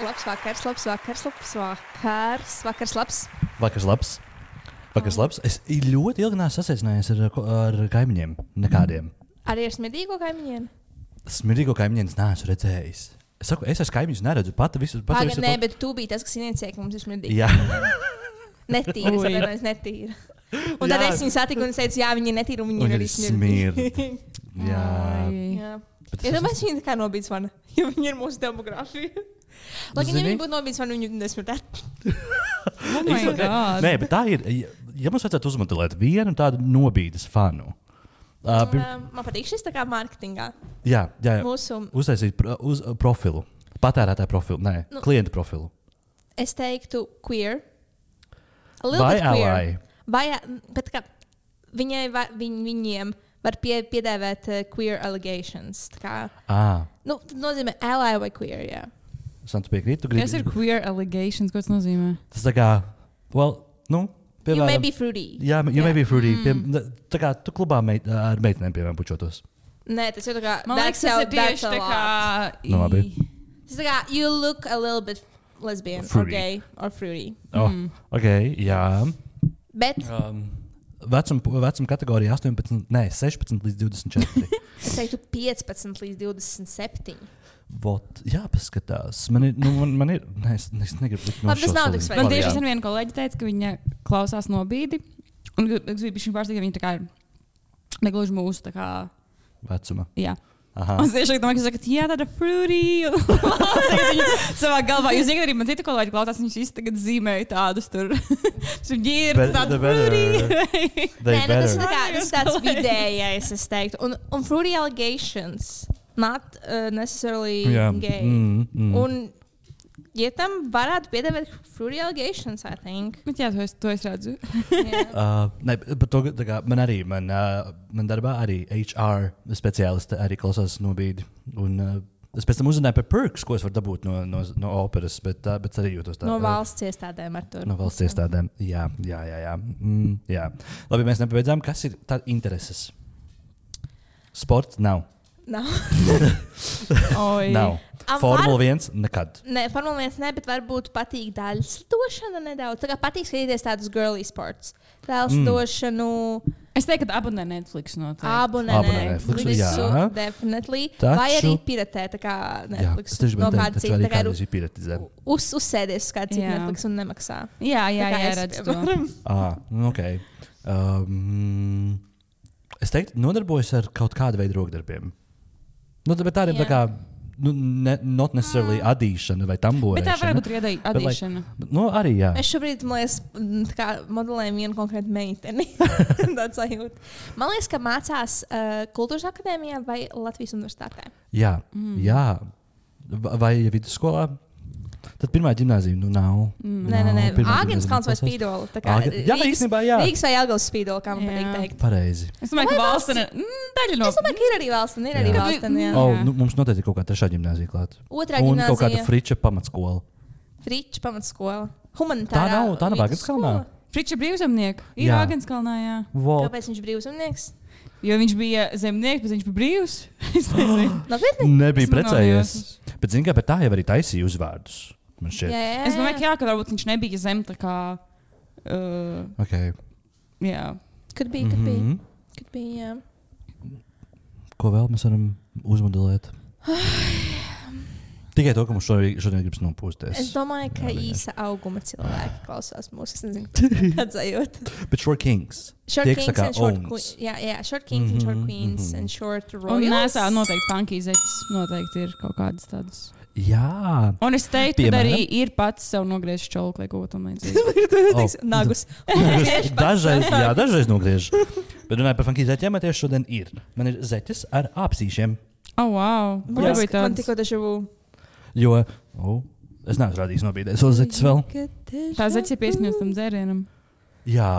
Labs vakars, labs vakars, labs vakars, vakars labs. Vakars labs. Vakars labs. Es ļoti ilgi neesmu sasveicinājies ar kaimiņiem. Nekādiem. Arī ar smirdīgo kaimiņiem? Smirdīgo kaimiņiem es neesmu redzējis. Es saku, es esmu kaimiņus neredzu. Pati visu. Nē, bet tu biji tas, kas inicēja, ka mums ir smirdīgi. Jā. Netīra, es atvainojos, netīra. Un tad es viņu satiku un es teicu, jā, viņi ir netīri un viņi ir arī smirdīgi. Jā. Ja domāju, viņi tā kā nobīdz vana, jo viņi ir mūsu demogrāfija. Lai gan viņi būtu nobīdz vana, viņi nesmirdētu. Nē, bet tā ir, ja mums vajadzētu uzmodelēt vienu tādu nobīdes fanu. Man patīk šis tā kā marketingā. Jā. Mūsu... Uztaisīt profilu. Patērētāju profilu, klientu profilu. Es teiktu queer. Vai ally? Vai, bet kā viņiem var piedēvēt queer allegations. Tā kā, nu, tad nozīmē ally vai queer, jā. Santu piekrīt, Kas ir queer allegations, ko tas nozīmē? Tas tā kā, piemēram... You may be fruity. Jā, you may be fruity. Tā kā tu klubā ar meitenēm, piemēram, pučotos. Nē, tas jau tā kā... Man liekas, tas ir tieši tā kā... Nu, labi. Tas tā kā, you look a little bit lesbian fruity. Or gay or fruity. Ok, jā. Bet... Vecuma kategorija 16 līdz 24. Es teiktu 15 līdz 27. Jā, paskatās. Man ir es negribu likt no Labi, tas nav tik svarīgi. Man tieši sen viena kolēģi teica, ka viņa klausās nobīdi. Un es biju viņa pārsteigta, ka viņa tā kā ir negluži mūsu tā kā... Vecuma. Jā. Aha. Un es tieši domāju, ka jūs sakat, jā, tāda fruity. Savā galvā. Jūs zināt, arī man cita kolēģi klausās, viņš visi tagad zīmēja tādus tur. Viņi ir tādi fruity. Nē, nu tas ir tā kā, tas tāds vidējais, es teiktu. Un fruity allegations, not necessarily gay. Un, ja tam varētu piedēvēt fruity allegations, I think. Bet jā, to es redzu. Ne, bet to, kā, man darbā arī HR speciālisti arī klausās nobīdi. Un es pēc tam uzzināju par perks, ko es varu dabūt no operas, bet arī jūtos tā. No valsts iestādēm ar to. No valsts iestādēm, jā. Jā. Labi, mēs nepabeidzām. Kas ir tā intereses? Sports nav. Nav. Nav. Formula 1 nekad. Nē, Formula 1 ne, bet varbūt patīk daļslidošana nedaudz. Tā kā patīk skatīties tādus girly sports. Daļslidošanu. Es teiktu, ka abonē Netflix noteikti. Abonē Netflix, jā. Definitely. Taču... Vai arī piratē, tā kā Netflix. Jā, tas no kāda cita. Tā kā ir piratizē. Uzsēdies uz kāda cita Netflix un nemaksā. Jā, redz to. Ok. Es teiktu, nodarbojos ar kaut kādu veidu rokdarbiem. Bet tādiem tā kā, not necessarily adīšana vai tamborēšana. Bet tā varētu būt arī adīšana. Arī jā. Mēs šobrīd, man liekas, tā kā modelējam vienu konkrētu meiteni. Tāds sajūta. Man liekas, ka mācās Kultūras akadēmijā vai Latvijas universitātē. Jā. Vai vidusskolā? Tad pirmā ģimnāzija nav. Nē. Āgenskalns vai Spīdola. Jā, īstenībā jā. Rīgas vai Jelgavas Spīdola, kā man patīk teikt. Pareizi. Es domāju, ka valstene daļa no... Es domāju, ka ir arī valstene, jā. Mums noteikti ir kaut kā trešā ģimnāzija klāt. Otrā ģimnāzija. Un kaut kāda Friča pamatskola. Friča pamatskola. Humanitārā. Tā nav Āgenskalnā. Friča brīvzemnieki. Ir Āgenskalnā, jā. Kāpēc viņš brīvzemnieks? Jo viņš bija zemnieks, bet viņš bija brīvs. Es nezinu. Nebija precējies. Bet zini, ka tā jau arī taisīja uzvārdus. Jā. Es domāju, ka varbūt viņš nebija zem tā kā... Okay. Jā. Kad bija, jā. Ko vēl mēs varam uzmodelēt? Tikai to, ka mums šodien gribas nopūsties. Es domāju, ka īsa auguma cilvēki klausās mūsu. Es nezinu, kāds sajūt. Bet short kings. Short kings and short queens. Jā, short kings and short queens and short royals. Un nesā noteikti funky zeķis. Noteikti ir kaut kādas tādas. Jā. Un es teiktu, ka arī ir pats sev nogriezt čolku, lai kaut ko tam līdzīgi. Nagus. Dažreiz nogriež. Bet runāju par funky zeķiem, tieši šodien ir. Man ir zeķis ar āpsīšiem. Wow. Man tikko taču... Jo, es neesmu rādījis nobīdēs vēl zeķis vēl. Tā zeķis ir pieskaņots tam dzērienam. Jā,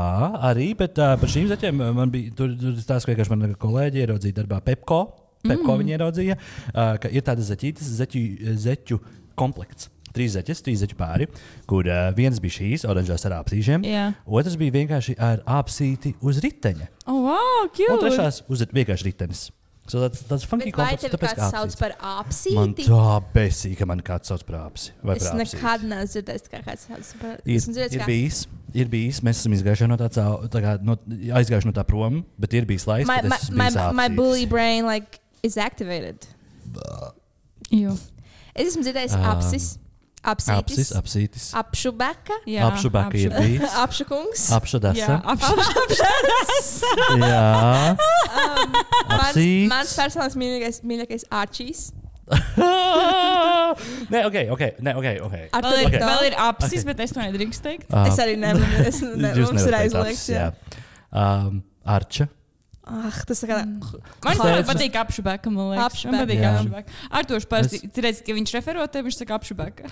arī, bet par šīm zeķiem man bija, tur stāsts, ka vienkārši man kolēģi ieraudzīja darbā Pepko viņi ieraudzīja, ka ir tādas zeķu komplekts. 3 zeķu pāri, kur viens bija šīs oranžās ar āpsīšiem, otrs bija vienkārši ar āpsīti uz riteņa. Oh, wow, cute! Un trešās uz vienkārši ritenis. So that's funky Vai tevi tāpēc, kāds sauc par apsīti? Man tā besīja, ka man kāds sauc par apsi. Es nekad neesmu dzirdējis, kā kāds sauc par apsīti. Ir bijis, mēs esam izgājuši no aizgājuši no tā prom, bet ir bijis laiks, kad es esmu bijis apsītis. My bully brain is activated. Es esmu dzirdējis apsis. Apsītis. Apšubeka. Apšubeka ir bijis. Apšukungs. Apšudasa. Jā. Apsītis. Mans personīgais mīļākais Arčīs. Nē, ok. Vēl ir apsis, bet es to nedrīkst teikt. Es arī nevaru. Mums ir aizliegts. Arča. Tas tā kā... Man patīk apšubeka, man liekas. Man patīk apšubeka. Artoši parasti, redz, ka viņš refero tev, viņš saka apšubeka.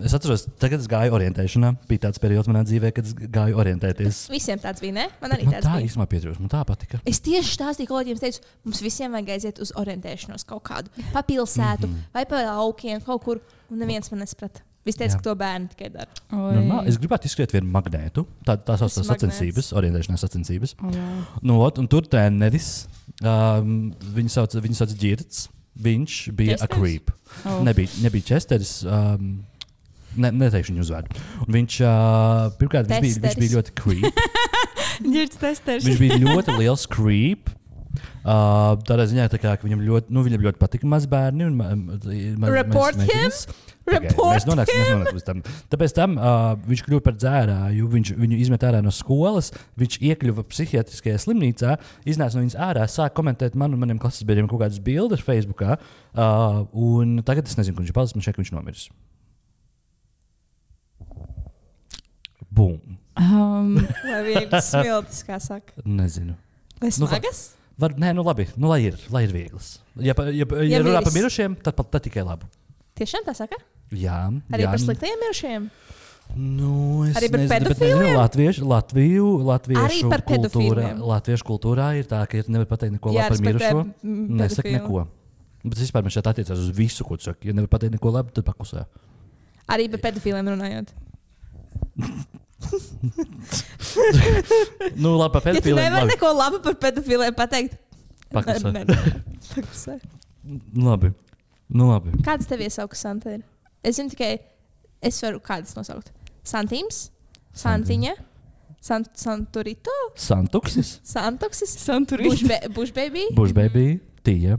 Es atceros, tagad es gāju orientēšanā. Bija tāds periods manā dzīvē, kad es gāju orientēties. Visiem tāds bija, ne? Man arī tāds bija. Man tā īstenībā pietrūst, man tā patika. Es tieši stāstīju kolēģiem, teicu, mums visiem vajag aiziet uz orientēšanos kaut kādu pa pilsētu vai pa laukiem kaut kur, un neviens man nesprata. Visi teica, ka to bērni tikai dara. Es gribētu izskriet vienu magnētu. Tā sauc sacensības, orientēšanās sacensības. Un tur treneris, viņu sauc Girts, viņš bija a creep. Nebija Česteris, neteikšu viņu uzvārdu. Un viņš, pirmkārt, viņš bija ļoti creep. Girts testeris. Viņš bija ļoti liels creep. Tādā ziņā, ka viņam ļoti patika mazbērni. Report him? Mēs nonāksim līdz tam. Tāpēc viņš kļuva par dzērāju, viņu izmet ārā no skolas, viņš iekļuva psihiatriskajā slimnīcā, iznāca no viņas ārā, sāk komentēt man un maniem klases biedriem kaut kādas bildes Facebookā, un tagad es nezinu, kur viņš ir palicis, man šeit viņš nomiris. Bum. Vai viegli smiltis, kā saka? Nezinu. Vai smagas? Nē, labi, lai ir vieglas. Ja runā par mirušiem, tad tikai labi. Tiešām tā saka? Jā. Arī par sliktajiem mirušiem? Arī par pedofīliem? Latviešu kultūrā ir tā, ka nevar pateikt neko labi par mirušo. Nesaka neko. Bet vispār man šeit attiecās uz visu, ko tu saki. Ja nevar pateikt neko labi, tad paklusē. Arī par pedofīliem runājot. Labi, par pedofīliem. Ja tu nevar neko labi par pedofīliem pateikt, paklusē. Labi. Kāds tev iesauks, Santa? Es zinu tikai, es varu kādas nosaukt. Santīms, Santiņa, Santurito, Santuksis, Santurito, Bushbaby, Tija.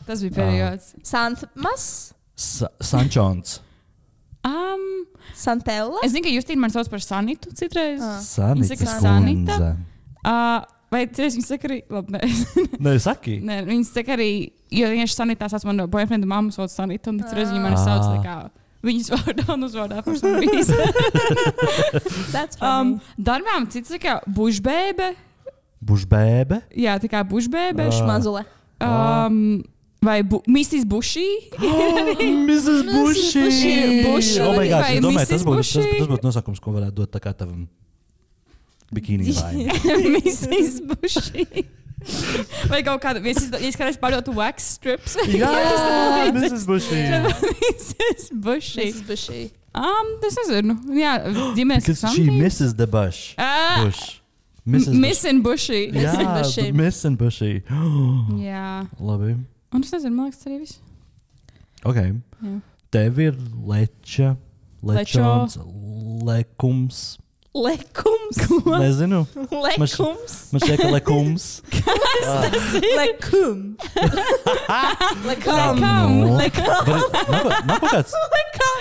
Tas bija periods. Santmas, Sančons. Santella. Es zinu, ka Justīna man sauc par Sanitu citreiz. Sanita. Vai viņi saka arī, labi, nē, saki. Nē, viņi saka arī, jo vienkārši Sanitā sauc manu boyfriendu mammu sauc Sanitu, un citreiz viņi mani sauc tā kā viņas vārdā un uzvārdā par some reason. That's funny. Darbām cits tā kā bušbēbe. Bušbēbe? Jā, tā kā bušbēbe. Šmazule. Vai Mrs. Bushī? Mrs. Bushī. Oh my God, es domāju, tas būtu nosakums, ko varētu dot tā kā tavam bikīnī vai. Mrs. Bushī. Vai kaut kāda, es kādreiz pārdotu wax strips. Jā, Mrs. Bushī. Mrs. Bushī. Es nezinu. Jā, ģimenes Because she misses the bush. Bush. Missing Bushī. Jā, Missing Bushī. Jā. Labi. Un es nezinu, man liekas, tas arī viss. Ok. Jā. Tev ir lečons, lekums. Lekums? Nezinu. Lekums? Man šķiet, ka lekums. Kas tas ir? Lekum. Lekam. Nav kaut kāds. Lekam.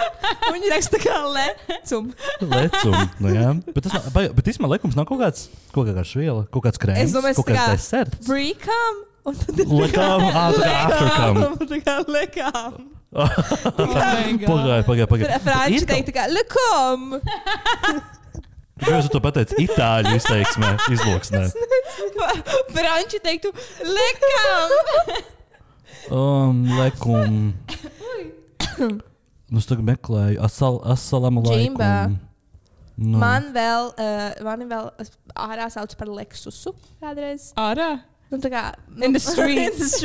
Viņi raksta kā lecum. Lecum, jā. Bet īstenībā lekums nav kaut kāds viela, kaut kāds krēms, kaut kāds deserts. Pre-cum. Lekam, tā kā aftercum. Tā kā lekam. Pagāj. Franči teikt tā kā lekam. Kāpēc tu to pateici itāļu izteiksmē, izloksnē? Franči teiktu lekam. Lekum. Es tagad meklēju assalamu alaikum. No. Mani vēl ārā sauc par Lexusu kādreiz. Ārā? Tā kā in the streets.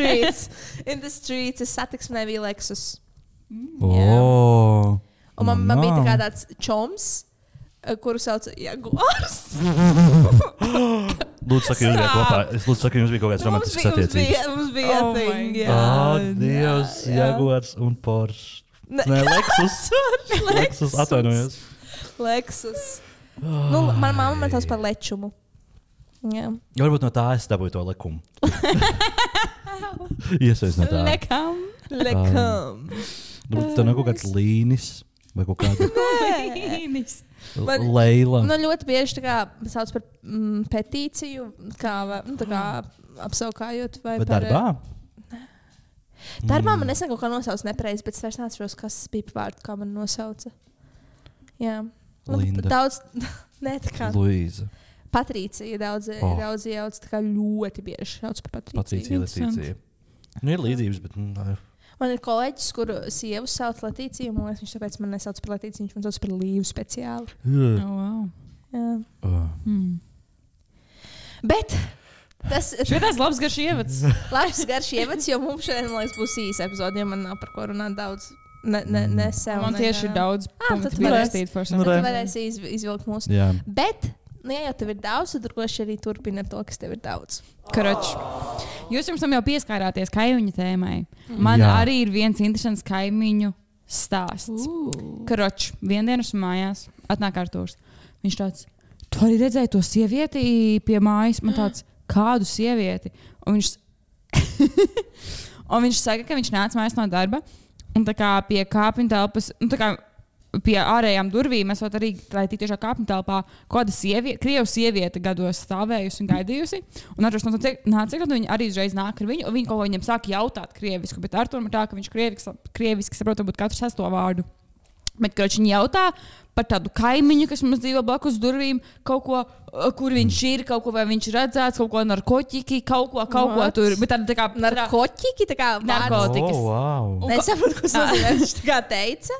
In the streets. Es satiksmē bija Lexus. Oh. Un man bija tā kā tāds čoms. kuru sauc Jaguars. Lūdzu, saka, jums bija kopā. Es lūdzu, saka, jums bija kaut kāds romantisks attiecības. Mums bija thing, jā. Dievs, Jaguars un Porsche. Nē, Lexus, atvainojos. Lexus. Mana mamma man tās par lečumu. Jā. Varbūt no tā es dabūju to lekumu. Iesaies no tā. Lekam. Tev nav kaut kāds līnis vai kaut kāda Līnis. Leila. Man ļoti bieži tā kā sauc par petīciju, kā apsaukājot vai Bet par... darbā? Darbā man nesen kaut kā nosauc nepareizi, bet es vairs neatceros, kas bija par vārdu, kā man nosauca. Jā. Linda. Daudz... Nē, tā kā... Luīza. Patricija daudz jauc, tā kā ļoti bieži sauc par Patriciju. Patricija, Letīcija. Nu, ir līdzības, bet... Man ir kolēģis, kuru sievu sauc Letīcija, un viņš tāpēc man nesauc par Letīciju, viņš man sauc par Līvu speciāli. Wow. Jā. Bet tas ir... Šitās labs garš ievads. Labs garš ievads, jo mums šodien, man liekas, būs īsa epizode, jo man nav par ko runāt daudz. Ne sev. Man tieši ir daudz punktu tad pierakstīt for some. Tad varēsi izvilkt mūsu. Jā. Bet, ja jau tev ir daudz, tad droši arī turpina to, kas tev ir daudz. Karoč. Jūs jums tam jau pieskārāties kaimiņu tēmai. Man arī ir viens interesants kaimiņu stāsts. Karoč, viendienas mājās atnāk Artūrs. Viņš tāds, tu arī redzēji to sievieti pie mājas? Man tāds, kādu sievieti? Un viņš saka, ka viņš nāca mājās no darba un tā kā pie kāpņu telpas, tā kā pie ārējām durvīm esot arī, lai tiešā kāpņu telpā kāda krievu sieviete gados stāvējusi un gaidījusi. Un Arturs nāca, un viņi arī uzreiz nāk ar viņu, un viņi kaut ko viņam sāka jautāt krievisku, bet Arturam ir tā, ka viņš krieviski saprot, varbūt katru sesto vārdu. Bet, kad viņi jautā par tādu kaimiņu, kas mums dzīvo blakus durvīm, kaut ko, kur viņš ir, kaut ko vai viņš redzēts, kaut ko narkoķiki, kaut ko tur. Bet tā kā... Narkoķiki? Tā kā narkotikas. Wow. Nesaprotu, ko viņš tā kā teica.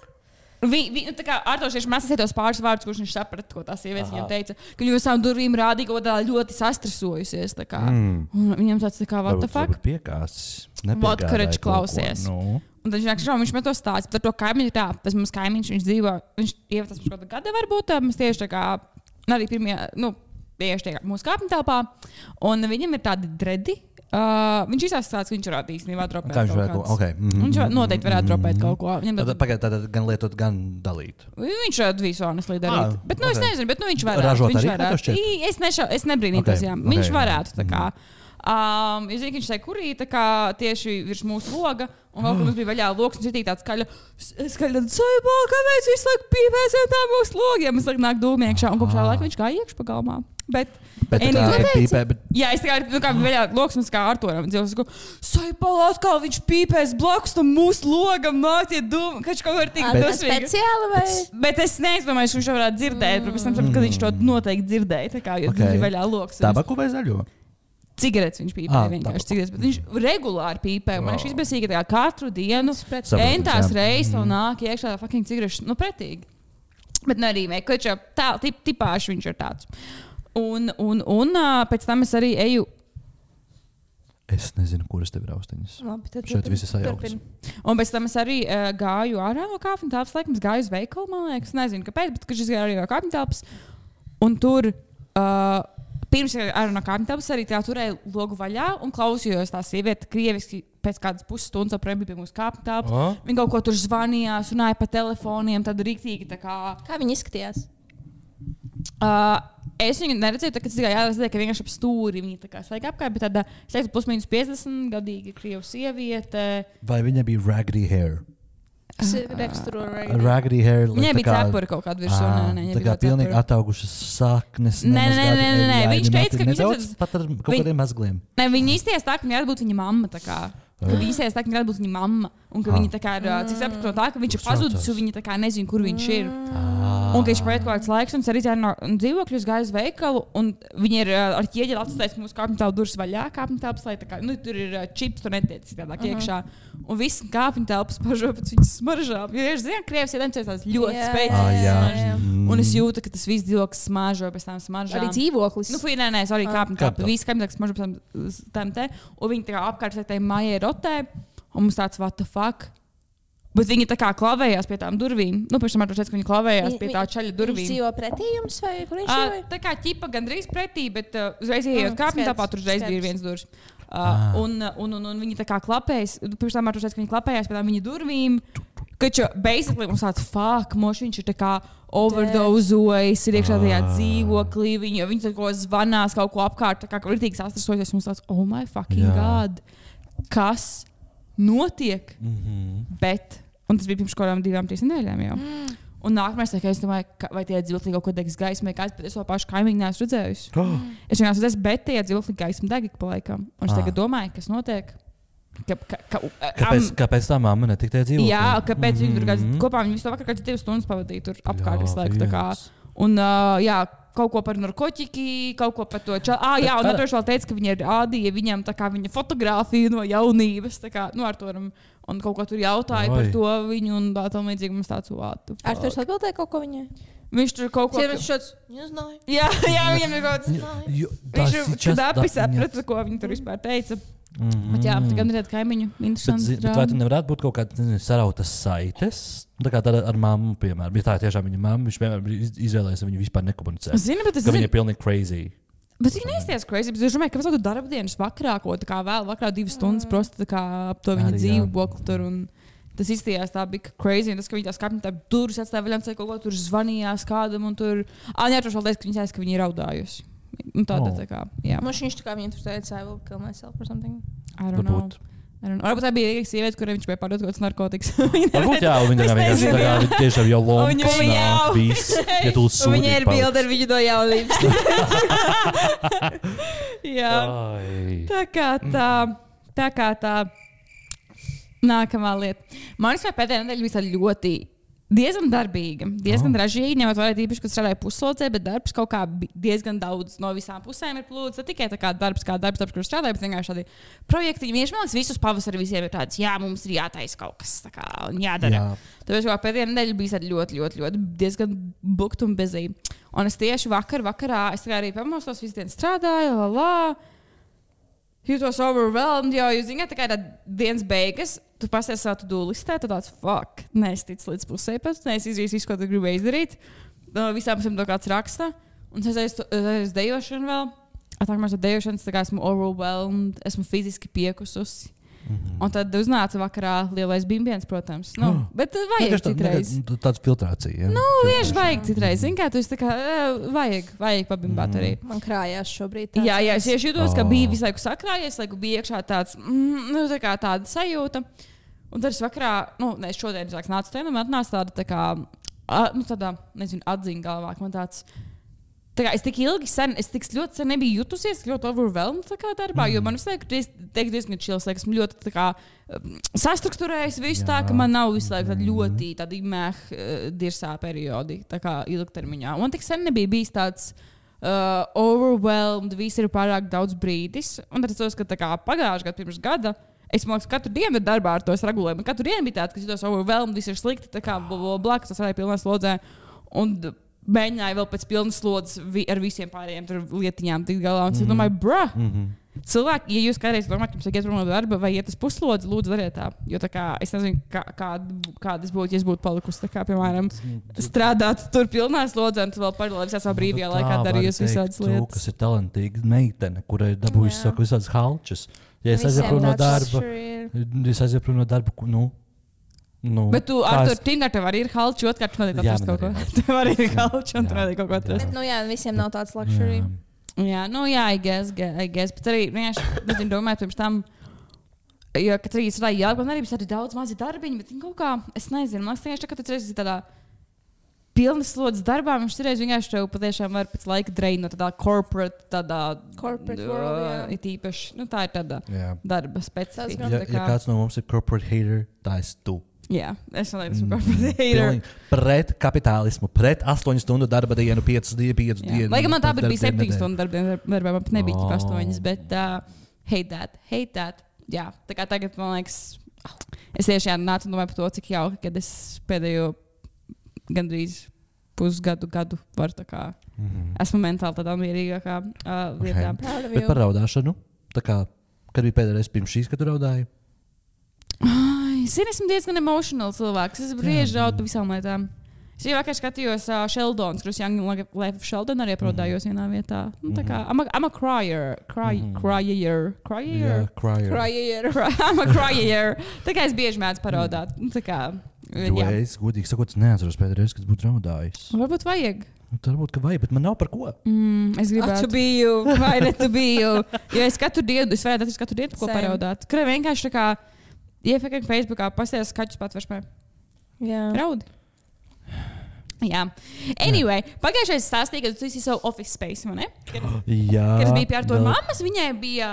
Tā kā Arturs tieši mēs tos pāris vārdus, kurus viņš saprata, ko tā sieviete viņam teica, ka viņa uz savām durvīm rādīja, ka tā ļoti sastresojusies. Un viņam tāds tā kā, what the fuck? Varbūt piekāsis. Vatkarečs klausies. Un tad viņš man to stāsta, bet ar to kaimiņu tā, tas mums kaimiņš, viņš dzīvo, viņš ievatas mums kaut gada varbūt, mēs tieši tā kā, arī pirmie, tieši tā kā mūsu kāpņu telpā, un viņam ir tādi dredi. Viņš izstāsta, ka viņš varētu īstenībā dropēt kaut ko. Viņš noteikti varētu dropēt kaut ko. Tad gan lietot, gan dalīt. Viņš varētu visu honestly darīt. Bet es nezinu, bet viņš varētu. Ražot arī, kā to šķiet? Es nebrīnītos, jā. Viņš varētu, tā kā. Es zinu, ka viņš teica, kurī tā kā tieši virs mūsu loga, un vēl, ka mums bija vaļā logs, un šitī tāds skaļa, saibā, kāpēc visu laiku pīpēsim tā mūsu logiem? Mēs nāk dūmi iekšā, un kopš tā laika viņš kā iekš pagalmā. Bet jā, es kā vaļā logs, un kā Arturam dzīvos, saibā, atkal viņš pīpēs blakus tam mūsu logam, nāk tie dūmi, kač kaut var tik dusmīgi. Speciāli vai? Bet es neizdomāju, viņš varētu dzirdēt, bet pēc tam, kad viņš to noteikti dzirdēja, tā kā, jo viņš bija vaļā logs. Tabaku vai zaļo? Cigaretes viņš pīpēja vienkārši cigaretes, bet viņš regulāri pīpēja. Man šis bezsīgi tā kā katru dienu, entās reizes un nāk iekšā fucking cigaretes, pretīgi. Bet arī kaut kā tā, tipāši viņš ir tāds. Un pēc tam es arī eju. Es nezinu, kuras tev ir austiņas. Šeit viss ir sajaukts. Un pēc tam es arī gāju ārā no kāpņu telpas, laikam es gāju uz veikalu, man liekas, nezinu kāpēc, bet kad es gāju arī no kāpņu telpas. Un tur... Pirms ar no kāpņu telpas arī turēju logu vaļā un klausījos tā sieviete krieviski pēc kādas pusstundas aprēm bija pie mūsu kāpņu telpas. Viņa kaut ko tur zvanījās, runāja pa telefoniem, tad rīktīgi tā kā... Kā viņa izskatījās? Es viņu neredzēju, kad es tikai redzēju, ka vienkārši ap stūri viņa tā kā svaigā apkārt, bet tāda, es teiktu, plus mīnus 50 gadīga krievu sieviete. Vai viņa bija raggedy hair? Raggedy hair. Viņai bija cepuri kaut kāda virsū. Tā kā pilnīgi ataugušas saknes. Nē. Viņš teica, ka viņš pat ar kaut kādiem mazgliem. Nē, viņa izties tā, ka viņa varētu būt viņa mamma. Ka viņa izties tā, ka viņa varētu būt viņa mamma. Un ka viņa tā kā, cik sapratu no tā, ka viņš ir pazudis, un viņa tā kā nezina, kur viņš ir. Un ka viņš paiet kaut kāds laiks, un es arī no dzīvokļus gāju uz veikalu, un viņi ir ar ķieģeli atstājis mūsu kāpņu telpu durvis vaļā, kāpņu telpas, lai tā kā, tur ir čips, tur netiec citādāk iekšā. Un viss kāpņu telpas pažo pēc viņas smaržām. Jo, zinu, Krievs ir tās ļoti spēcīgas smaržas. Un es jūtu, ka tas viss dzīvoklis smaržo pēc tām smaržām. Arī dzīvoklis? Nē, arī kāpņu telpa. Viss kāpņu telpas smaržo pēc tām te. Un viņi tā kā apkārt tai mājai rotē. Un mums tāds, what the fuck? Bet viņi tā kā klavējās pie tām durvīm. Nu, pēc tam man teica, ka viņi klavējās pie tā čaļa durvīm. Viņš dzīvo pretī jums vai kur viņš dzīvo? Tā kā ķipa gandrīz pretī, bet uzreiz ejot kāpņu tāpā, tur uzreiz bija viens durvis. Un viņi tā kā klapējas, pirms tam man teica, ka viņi klapējās pie tām viņa durvīm. Kaču, basically, mums tāds viņš ir tā kā overdozojis, ir iekšā tajā dzīvoklī, viņi tā ko zvanās kaut ko apkārt, tā kā rītīgi sastrasoties, mums tāds, oh my fucking God, kas notiek? Bet, un tas bija pirms kādām 2-3 nedēļām jau. Un nākamais, es domāju, vai tie dzīvokļi kaut ko degs gaismai, kāds, bet es to pašu kaimiņu neesmu redzējusi. Es vienkārši redzēju, bet tie dzīvokļi gaisma deg ik pa laikam. Un es tagad domāju, kas notiek. Kāpēc tā mamma netika tie dzīvokļi? Jā, kāpēc viņi tur kopā, viņi visu vakar kāds 2 stundas pavadīja tur apkārt visu laiku. Un kaut ko par narkotiku, kaut ko par to čalu. Un Natūrs vēl teica, ka viņi rādīja viņam tā kā viņa fotografiju no jaunības, tā kā, ar to un kaut ko tur jautāja par to viņu un tā tam līdzīgi mums tāds vātu. Arturs atbildēja kaut ko viņai? Viņš tur kaut ko... Viņš šāds, nezināju. Jā, viņam ir kaut kas... Viņš dabi saprata, ko viņi tur vispār teica. Bet jā, tā gan ir tāda kaimiņu interesanta. Bet vai tu nevarētu būt kaut kāda sarautas saites? Tā kā tāda ar mammu, piemēram. Ja tā ir tiešām viņa mamma, viņš vienmēr izvēlējies, viņu vispār nekomunicēt. Zini, bet viņa ir pilnīgi crazy. Bet viņa neizties crazy, bet es domāju, ka vajadzētu darbdienas vakarā, ko tā kā vēl vakarā 2 stundas prosti tā kā ap to viņa dzīvokli tur un tas izstījās tā bija crazy, un tas, ka viņi tā skapņi tā durvis atstāja vaļā, kaut ko tur zvanījās kādam un tur... Neatros vēl teica, ka viņa aizs, ka viņi ir raudājusi. Un tāda tā kā, jā. Mums viņš tā kā viņa tur teica, I will kill myself or something. I don't know. Varbūt tā bija īrīga sieviete, kurai viņš bija pārdot kaut kāds narkotikas. Varbūt jā, viņa vienkārši tiešām jau lonkas nāk viss, ja tu sūdi. Viņa ir bilde ar viņu no jaunības. Jā. Tā kā tā. Nākamā lieta. Man liekas, pēdējā nedēļa bija tāda ļoti diezgan darbīga, diezgan ražīga, ņemot vērā īpaši, ka strādāju pusslodzē, bet darbs kaut kā diezgan daudz no visām pusēm ir plūds. Ne tikai tā kā darbs, kur strādāju, bet vienkārši tādi projekti. Viņš man liekas, visus pavasari visiem ir tāds, jā, mums ir jātaisa kaut kas tā kā un jādara. Jā. Tāpēc kā pēdējā nedēļa bija ļoti diezgan booked un busy. Un es tieši vakarā, es arī pamostos, visu dienu strādāju, jūtos overwhelmed, jo jūs zināt, tā kā ir dienas beigas, tu pasies savu to-do listē, tu tāds, fuck, neestic līdz pusē pēc, neesizdarījis visu, ko tu gribi izdarīt. Visām pusēm to kāds raksta. Un es aiz dejošanu vēl. Atnākamās dejošanas, tā kā esmu overwhelmed, esmu fiziski piekususi. Un tad uznāca vakarā lielais bimbiens, protams. Bet vajag citreiz. Tāds filtrācija. Vienkārši vajag citreiz. Zini, kā tu esi tā kā, vajag pabimbāt arī. Man krājās šobrīd. Jā, es tieši jūtos, ka bija visu laiku sakrājies, laiku bija iekšā tāds, tā kā tāda sajūta. Un tad es vakarā, šodien nācu te, un man atnāca tāda, tā kā, tāda, nezinu, atziņa galvā, man tāds, tā kā es tik ļoti sen nebiju jutusies, ļoti overwhelmed tā kā darbā, jo man visu laiku diezgan chills, esmu ļoti tā kā sastrukturējis visu tā, ka man nav visu laiku ļoti tādi dirsā periodi, tā kā ilgtermiņā. Un tik sen nebija bijis tāds overwhelmed, visi ir pārāk daudz brīdis, un tad es tos, ka tā kā pagājušajā gadu pirms gada, es domāju, ka katru dienu ir darbā ar to regulējumu. Katru dienu bija tāds, ka jūtos overwhelmed, viss ir slikti, tā kā blakus tas arī pilnā slodzē. Un mēģināju vēl pēc pilnas slodzes ar visiem pārējiem lietiņām tikt galā. Un es domāju, cilvēki, ja jūs kādreiz domājat, jums iet prom no darba vai iet uz puslodzi, lūdzu, dariet tā. Jo tā kā es nezinu, kādas būtu, ja es būtu palikusi, tā kā, piemēram, strādāt tur pilnā slodzē un tu vēl paralēli visā savā brīvajā laikā darījusi visādas lietas. Kas ir talantīga meitene, kurai dabūjusi visādas halčas. Ja es aizietu no darba, bet tu ar to Tinder tev arī ir halči, otrkārt tu nedēļ atrast kaut ko. Tev arī ir halči un tu nedēļ kaut ko atrast. Bet, visiem nav tāds luxury. Jā, I guess. Bet arī, vienkārši, domāju, pirms tam, jo, kad arī strādāju Jelgavā, arī bija daudz mazi darbiņi, bet viņi kaut kā, es nezinu, man liekas, ka tu esi tādā pilnas slodzes darbā, viņš vienkārši tev patiešām var pēc laika drainot tādā corporate world, it īpaši, tā ir tāda darba specifika. Ja kāds no mums ir corporate hater, tā esi tu. Jā, es esmu corporate hater. Pret kapitālismu, pret 8 stundu darba dienu, 5 dienu. Lai gan man tā bija 7 stundu darba, man nebija tik 8, bet hate that. Jā, tā kā tagad, man liekas, es tieši nācu un domāju par to, cik jauki, kad es pēdējo gandrīz pusgadu varu tā kā, esmu mentāli tādā mierīgākā lietā. Bet par raudāšanu, tā kā, kad bija pēdējais pirms šīs, kad tu raudāji? esmu diezgan emotional cilvēks. Es brieži raud par visām lietām. Es jau vakar skatījos Sheldons, kurus Young Life of Sheldon arī aprodājos vienā vietā. Nu, tā kā, I'm a crier. Crier. I'm a crier. Tā kā es bieži mēdzu paraudāt. Nu, tā kā, es godīgi sakot, neatceros pēdējais, kad būtu raudājis. Varbūt vajag. Varbūt, ka vajag, bet man nav par ko. Es gribētu. To be you. Vai ne to be you. Jo es katru dienu, es varētu katru dienu ko paraudāt. Kur vienkārši tā kā, iefekti Facebookā pasties skaķus patveršmē. Jā. Raudi. Jā. Anyway, pagājušais stāstīja, ka tu esi savu office space, vai ne? Jā. Kad es biju pie Artura mammas, viņai bija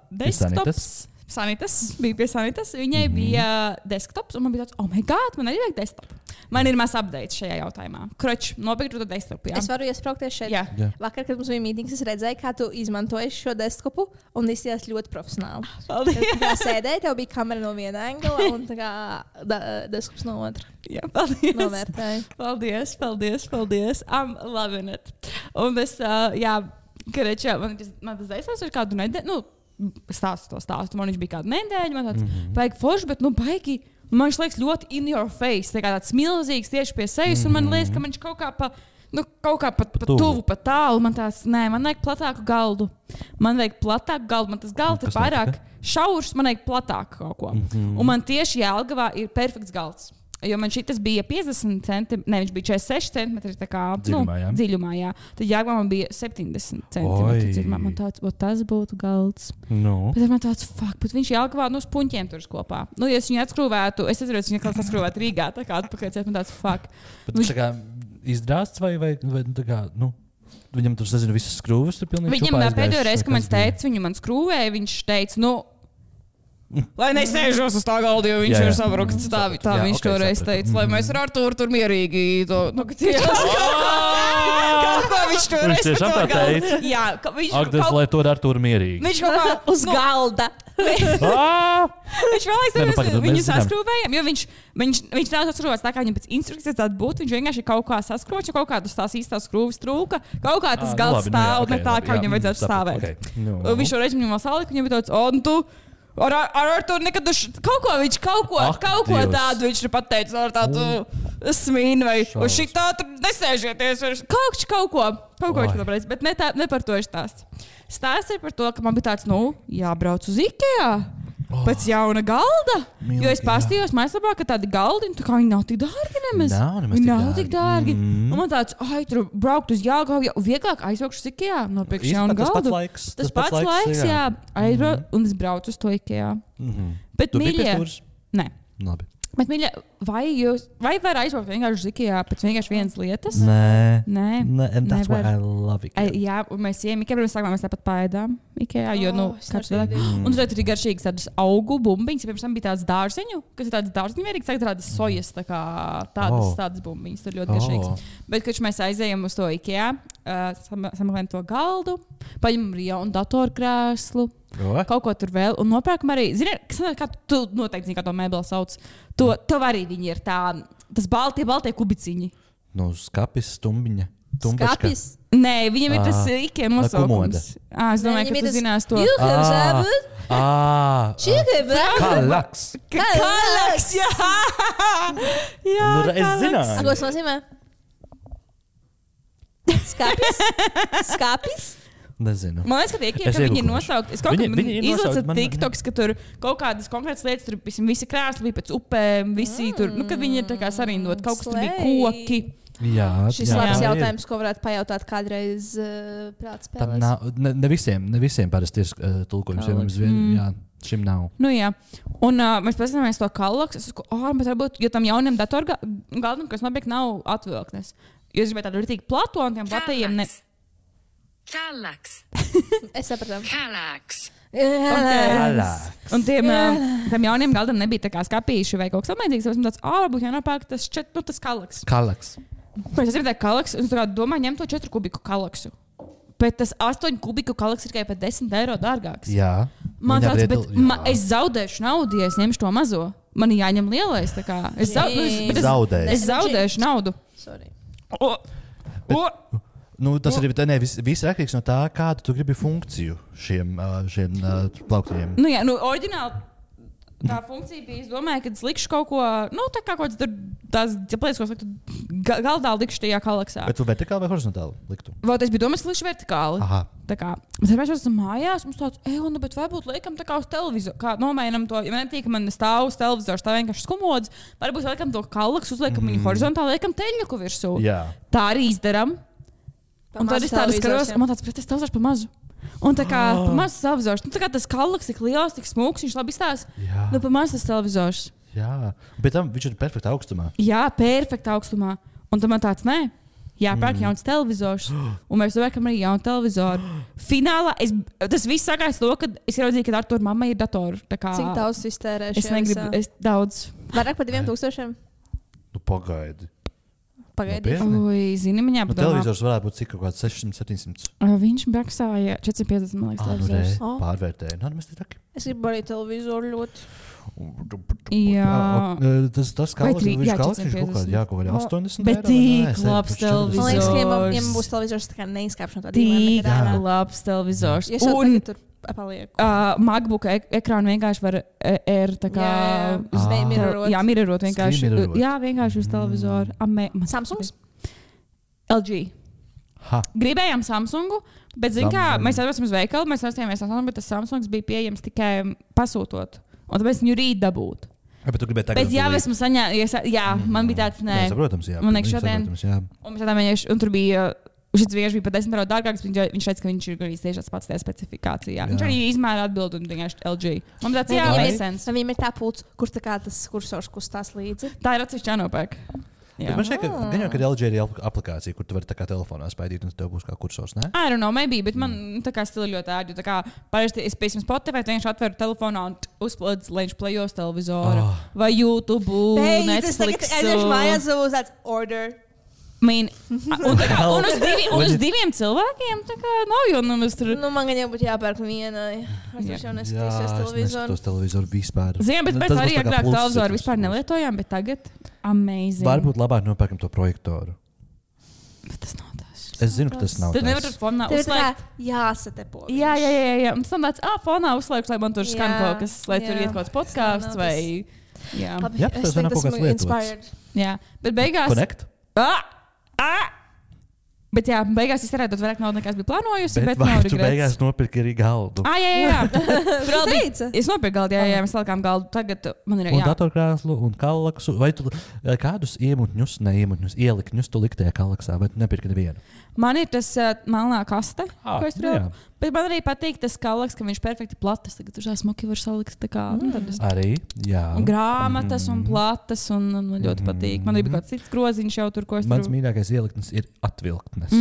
desktops. Sanitas, bija pie Sanitas. Viņai bija desktops, un man bija tāds, oh my god, man arī vajag desktop. Man ir maz updates šajā jautājumā. Kroč, nopirktu to desktopu, jā. Es varu iesprāgties šeit. Jā. Vakar, kad mums bija mītings, es redzēju, kā tu izmantoji šo desktopu, un izties ļoti profesionāli. Paldies. Kā sēdēji, tev bija kamera no viena angla, un tā kā desktops no otra. Jā, paldies. Novērtēju. Paldies. I'm loving it. Un es, jā, Kareķā, man tas desktops ir kādu nedēļu, nu, stāstu. Man viņš bija kādu nedēļu, man tāds baigi forši, bet, nu, baigi. Man viņš liekas ļoti in your face, tāds milzīgs tieši pie sejas, un man liekas, ka viņš kaut kā pa tuvu, pa tālu. Man tāds, nē, man vajag platāku galdu. Man tas galds ir pārāk šaurs, man vajag platāku kaut ko. Un man tieši Jelgavā ir perfekts galds. Jo man šitas bija 50 centimetri, ne, viņš bija 46 centimetri, tā kā dziļumā, jā. Tad Jelgavā man bija 70 centimetri dziļumā. Man tāds, tas būtu galds. No. Bet man tāds, bet viņš Jelgavā, nu, uz puņķiem tur kopā. Nu, ja es viņu atskrūvētu, es atceros, viņu atkal saskrūvētu Rīgā, tā kā atpakaļ, man tāds, Bet viņš tā kā izdrāsts vai tā kā, nu, viņam tur, nezinu, visas skrūves tur pilnīgi Viņam pēdējo reizi, kad man teica, viņu man skrūvēja, viņš teica, nu, lai nesēžos uz tā galda, jo viņš ir sabrukts. Tā viņš toreiz teica, lai mēs ar Arturu tur mierīgi to, nu, ka kaut ko viņš toreiz par to galda. Jā, Agnes, lai to ar Arturu mierīgi. Viņš kaut kā uz galda. Viņš vēlēs, viņu saskrūvējam, jo viņš nav saskrūvēts tā, kā viņam pēc instrukcijas tāda būtu. Viņš vienkārši kaut kā saskrūvēts, jo kaut kādas tās īstās skrūves trūka. Kaut kā tas galds stāv, ne tā, kā viņam vajadzētu stāvēt. Viņš toreiz viņam vēl salika, viņam bija tāds, un tu ar Arturu nekad kaut ko tādu viņš ir pateicis ar tādu smīnu vai uz šitā tur nesēžieties. Kaut ko viņš pateicis, bet ne par to ir stāsts. Stāsts ir par to, ka man bija tāds, nu, jābrauc uz Ikea pēc jauna galda. Jo es pastījos mājaslapā, ka tādi galdi, tā kā viņi nav tik dārgi nemaz. Viņi nav tik dārgi. Un man tāds, tur braukt uz Jelgavu, vieglāk aizbraukšu uz Ikea, nopirkšu jaunu galdu. Tas pats laiks, jā. Aizbraucu, un es braucu uz to Ikea. Bet, mīļie, nē. Labi. Bet, mīļie, vai var aizbraukt vienkārši uz Ikea pēc vienkārši vienas lietas? Nē. And that's why I love Ikea. Jā, un mēs ejam Ikea, pirms sākumā mēs tāpat paēdām Ikea, jo, nu, kāds vēl. Un tur ir garšīgas tādas augu bumbiņas, pirms tam bija tāds dārziņu, kas ir tāds dārziņu vērīgs, tagad tādas sojas, tā kā tādas bumbiņas, tur ļoti garšīgas. Bet, kad mēs aizējam uz to Ikea, sameklējam to galdu, paņemam arī jaunu datorkrēslu, kaut ko tur vēl, un nopērkam arī, zini, kā tu noteikti zini, kā to mēbeli sauc, tev arī viņi ir tas baltie kubiciņi. Nu, skapis, stumbiņa. Skapis? Nē, viņam ir tas Ikea nosaukums. Es domāju, ka tu zinās to. Kalaks, jā! Jā, es zināju. Ko tas nozīmē? Skapis? Nezinu. Man liekas, ka viņi ir nosaukti. Es kaut kā izlasu TikToks, ka tur kaut kādas konkrētas lietas, tur visi krēsli bija pēc upēm, visi tur, nu, kad viņi ir tā kā sarindot, kaut kas tur bija koki. Jā, šis labs jautājums, ko varētu pajautāt kādreiz prāta spēlēs. Ne visiem parasti ir tulkojums, jā, šim nav. Nu jā, un mēs paskatāmies to kalaks, es saku, bet varbūt, jo tam jauniem datorgaldam, kas nopiek nav atvilknes. Jo es gribēju tādu ritīgi platu, un tiem platajiem Kalaks. Es sapratu. Kalaks. Un tiem jauniem galdam nebija tā kā skapīši vai kaut kas tamlīdzīgs. Es tāds, varbūt jānopērk tas kalaks. Kalaks. Es gribēju kalaks, un es domāju, ņem to 4 kubiku kalaksu. Bet tas 8 kubiku kalaks ir tikai par 10 eiro dārgāks. Jā. Man tāds, es zaudēšu naudu, ja es ņemšu to mazo. Man jāņem lielais, tā kā. Es zaudēšu naudu. Sorry. Nu, tas arī viss atkarīgs no tā, kādu tu gribi funkciju šiem plauktiem. Nu jā, oriģināli. Tā funkcija bija, es domāju, ka es likšu kaut ko, tā kā kaut kāds tur, tās plēs, ko liktu galdā likšu tajā kalaksā. Bet tu vertikāli vai horizontāli liktu? Vot es biju domājis, ka likšu vertikāli. Aha. Tā kā, bet mēs esam mājās, mums tāds, bet varbūt liekam tā kā uz televizoru, kā nomainam to, ja man netīk, ka man stāv uz televizors, tā vienkārši skumods, varbūt liekam to kalaksu, uzliekam viņu horizontāli, liekam teļņuku virsū. Jā. Tā arī izdaram. Un tad es tādu skaros, un man tāds, bet es televizors pa mazu. Un tā kā mazs televizors, tā kā tas kalaks tik liels, tik smūgs, viņš labi izstāsta. Pa mazs tas televizors. Jā, bet tam viņš ir perfekta augstumā. Jā, perfekta augstumā. Un tad man tāds, nē, jāpērk jauns televizors. Un mēs vērkam arī jaunu televizoru. Finālā, tas viss sākās to, kad es ieraudzīju, ka Artur mamma ir datoru. Cik daudz iztērēšu? Es negribu, daudz. Vairāk par 2000? Pagaidi. Oi, zini, man jāpadomā. Televizors varētu būt cik kaut kāds 600-700. Viņš maksāja 450, man liekas, televizors. Pārvērtēja. Mēs te taki. Es gribu arī televizoru ļoti. Jā. Tas kalaks, viņš kaut kādā 80 bet tik labs televizors. Man liekas, ka ja būs televizors, tā kā neizkāpšu no tā dīvaina. Tik labs televizors. Un MacBook ekrānu vienkārši var tā kā mirrorot vienkārši. Jā, vienkārši uz televizoru. Samsungs? LG. Gribējām Samsungu, bet zin kā, mēs aizvācām uz veikalu, mēs aizstājāmies Samsungu, bet tas Samsungs bija pieejams tikai pasūtot. Un tāpēc viņu rīt dabūt. Bet tu gribēji tagad. Bet jā, esmu saņēmis, man bija tāds, nē. Saprotams, jā. Man liekas šodien. Un tur bija. Šis vienkārši bija pat 10 eiro dārgāks. Viņš teica, ka viņš ir arī tieši tas pats tajā specifikācijā. Viņš arī izmēra atbildi un vienkārši LG. Man tāds jāsens. Viņam ir tā pults, kur tā kā tas kursors kustās līdzi. Tā ir atsevišķi jānopērk. Man šķiet, ka LG ir aplikācija, kur tu vari tā kā telefonā spaidīt un tev būs kā kursors, ne? I don't know, maybe, bet man tā kā stila ļoti ērti. Tā kā parasti es pēc Spotify vienkārši atveru telefonā un uzplodz, lai viņš plejos televizoru. Vai YouTube, Netflix. Es vienkārši mājās uz tāds order. Un uz diviem cilvēkiem tā kā nav jau nemaz tur. Man gan jau būtu jāpērk vienai. Es jau neskatīšos televizoru. Es televizoru vispār. Zinu, bet pēc arī agrāk televizoru vispār nelietojām, bet tagad amazing. Varbūt labāk nopērkam to projektoru. Bet tas nav tas. Es zinu, ka tas nav tas. Tad nevar tur fonā uzslēgt. Jāsatepo. Jā. Un tas tam tāds, fonā uzslēgts, lai man tur skan kaut kas, lai tur iet kaut kāds podcasts vai. Jā, tas nav kaut kāds lietots. Jā, bet beigās. Connect? Bet jā, beigās es varētu dot vairāk naudas, nekā es biju plānojusi. Bet vai tu beigās nopirki arī galdu? Jā. Es nopirku galdu, jā, mēs salikām galdu. Tagad man ir un datorkrēslu un kalaksu. Vai tu kādus ielikņus tu likti tajā kalaksā, vai tu nepirki nevienu? Man ir tas melnā kaste, ko es tur jau. Bet man arī patīk tas kalaks, ka viņš perfekti platas. Tagad tur smuki var salikt tā kā. Arī, jā. Grāmatas un platas un man ļoti patīk. Man arī bija kāds cits groziņš jau tur, ko es tur. Mans mīļākais ieliknis ir atvilktnes.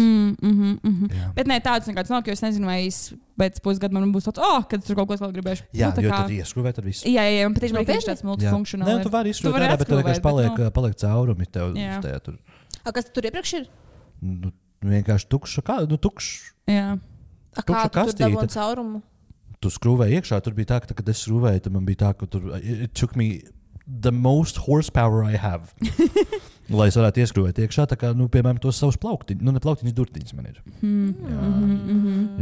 Bet ne tāds nekāds nav, jo es nezinu, vai pēc pusgada man būs tāds, kad tur kaut ko vēl gribēšu. Jā, jo tad ieskrūvē tad visu. Jā, un patiešām man ir tāds multifunkcionāls. Nē, tu vari izskrūvēt ārā, bet tev vienkārši paliek caurumi tev tajā tur. Kas tur iepriekš ir? Vienkārši tukšs. Jā. Kā tu tur dabūji caurumu? Tu skrūvēji iekšā, tur bija tā, ka, kad es skrūvēju, tad man bija tā, ka tur it took me the most horsepower I have. Lai es varētu ieskrūvēt iekšā, tā kā, piemēram, tos savus plauktiņus, ne plauktiņus, durtiņus man ir.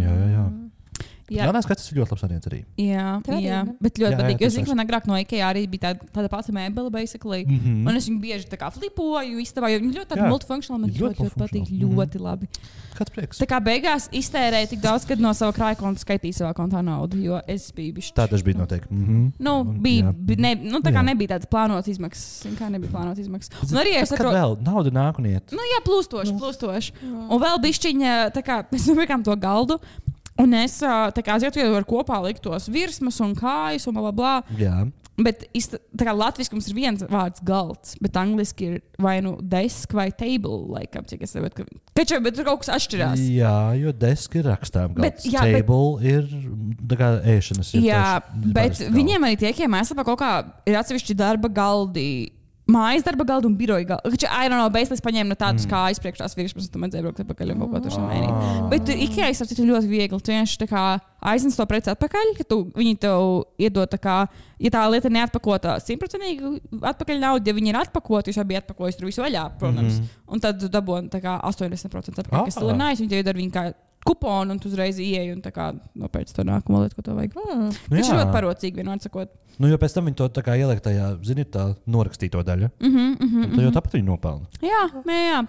Jā. Jaunās kaķis ir ļoti labs variants arī. Jā. Bet ļoti patīk. Jo zinu, ka man agrāk no IKEA arī bija tāda pati mēbele, basically. Un es viņu bieži tā kā flipoju, istabā, jo viņi ļoti tādi multifunkcionāli. Man ļoti patīk, ļoti labi. Kāds prieks? Tā kā beigās iztērēju tik daudz, kad no sava krāja konta skaitīju savā kontā naudu, jo es biju bišķi. Tā tas bija noteikti. Tā kā nebija tāds plānots izmaksas. Un arī es saprotu. Kad vēl nauda nāk un iet? Jā, plūstoši. Un vēl bišķiņa, tā kā mēs nopirkām to galdu. Un es aizietu, var kopā likt tos virsmas un kājas un blablabla. Jā. Bet tā kā latviski mums ir viens vārds galds, bet angliski ir vai nu desk vai table, laikam, cik es saprotu. Bet tur kaut kas atšķirās. Jā, jo desk ir rakstām galds. Table ir tā kā ēšanas. Jā, bet viņiem arī tiekiem mājaslapā kaut kā ir atsevišķi darba galdi. Mājas darba galdu un biroja galdu. I don't know, beigās paņēmu no tādas kājas priekšās virsmas, un tu man dzēbraukt atpakaļ un kaut ko tur mainīt. Bet tur IKEA ir ļoti viegli. Tu vienkārši tā kā aiznes to preci atpakaļ, ka viņi tev iedod tā kā, ja tā lieta neatpakota 100% atpakaļ naudu, ja viņi ir atpakoti, jūs jau bija atpakojis tur visu vaļā, protams. Un tad tu dabūni tā kā 80% atpakaļ, kas tur ir nice, viņi tev iedod viņu kā kuponu un tu uzreiz ieeji un tā kā nopērci to nākamo lietu, ko tev vajag. Viņš ir ļoti parocīgi, vienmēr sakot. Nu, jo pēc tam viņi to tā kā ieliek tajā, zini, tā norakstīto daļu. Tad jau tāpat viņi nopelna. Jā,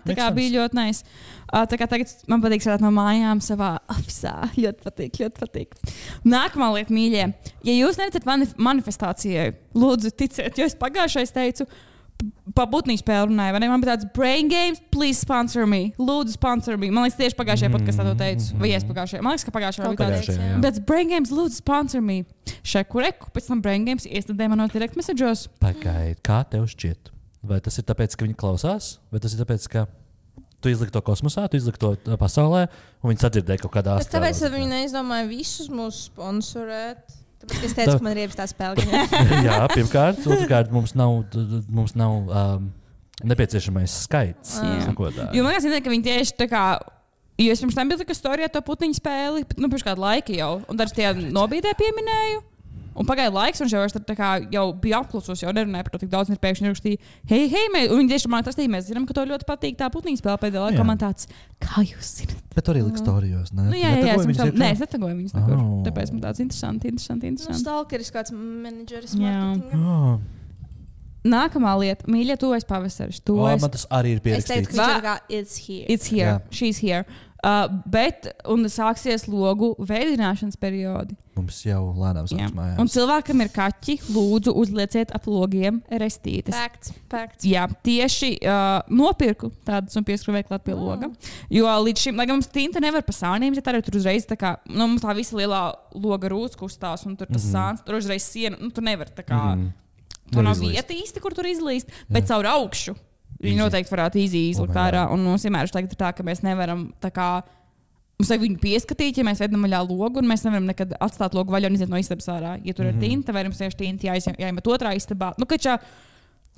tā kā bija ļoti nice. Tā kā tagad man patīk strādāt no mājām savā ofisā. Ļoti patīk. Nākamā lieta, mīļie. Ja jūs neticat manifestācijai, lūdzu ticiet, jo es pagājušais teicu, pa butnī spēli runāju, vai ne? Man bija tāds brain games, please sponsor me. Lūdzu, sponsor me. Man liekas, tieši pagājušajā podkastā to teicu. Vai es pagājušajā? Man liekas, ka pagājušajā bija tāds. That's brain games, lūdzu, sponsor me. Šeku, pēc tam brain games iestādēja manos direct message'os. Pagaid, kā tev šķiet? Vai tas ir tāpēc, ka viņi klausās? Vai tas ir tāpēc, ka tu izliki to kosmosā, tu izliki to pasaulē, un viņi sadzirdēja kaut kādā astrālā? Tāpēc viņi neizdomāja visus mūs sponsorēt. Tāpēc es teicu, ka man ir iebis tā spēle. Jā, pirmkārt. Otrkārt, mums nav nepieciešamais skaits. Jo man liekas, ka viņi tieši tā kā, jo es pirms tam biju tā storijā to putniņu spēli, pirms kādu laiku jau, un dažs tie nobīdē pieminēju. Un pagaida laiks, un jau bija apklusos, jau nerunāja par to tik daudz, un pēkšņi rakstīja, hei, un viņi tieši man tas tī, mēs zinām, ka to ļoti patīk tā putniņu spēle pēdējā laikā. Man tāds, kā jūs zināt? Bet arī liks storijos, ne? Nu, jā, es netagoju viņus nekur. Tāpēc man tāds interesanti. Nu, stalkeris kāds menedžeris. Nākamā lieta, mīļie, tuvojas pavasaris. Man tas arī ir pierakstīts. Es teicu, ka it's here. It's here. Yeah. She's here. Un sāksies logu veidināšanas periodi. Mums jau lēnām sāks mājās. Un cilvēkam ir kaķi, lūdzu, uzlieciet ap logiem restītes. Facts. Jā, tieši nopirku tādas un pieskrūvēju klāt pie loga. Jo līdz šim, lai gan mums tinta nevar pa sāniem, ja tā ir tur uzreiz tā kā, mums tā visa lielā loga rūts kustās un tur tas sāns, tur uzreiz siena, tur nevar tā kā, tur nav vieta īsti, kur tur izlīst, bet caur augšu. Viņi noteikti varētu izlikt ārā. Un mums vienmēr ir tā, ka mēs nevaram tā kā, mums vajag viņu pieskatīt, ja mēs vedam vaļā logu, un mēs nevaram nekad atstāt logu vaļā un iziet no istabas ārā. Ja tur ir tinta, vai mums tieši tinta jāiemet otrā istabā. Nu, ka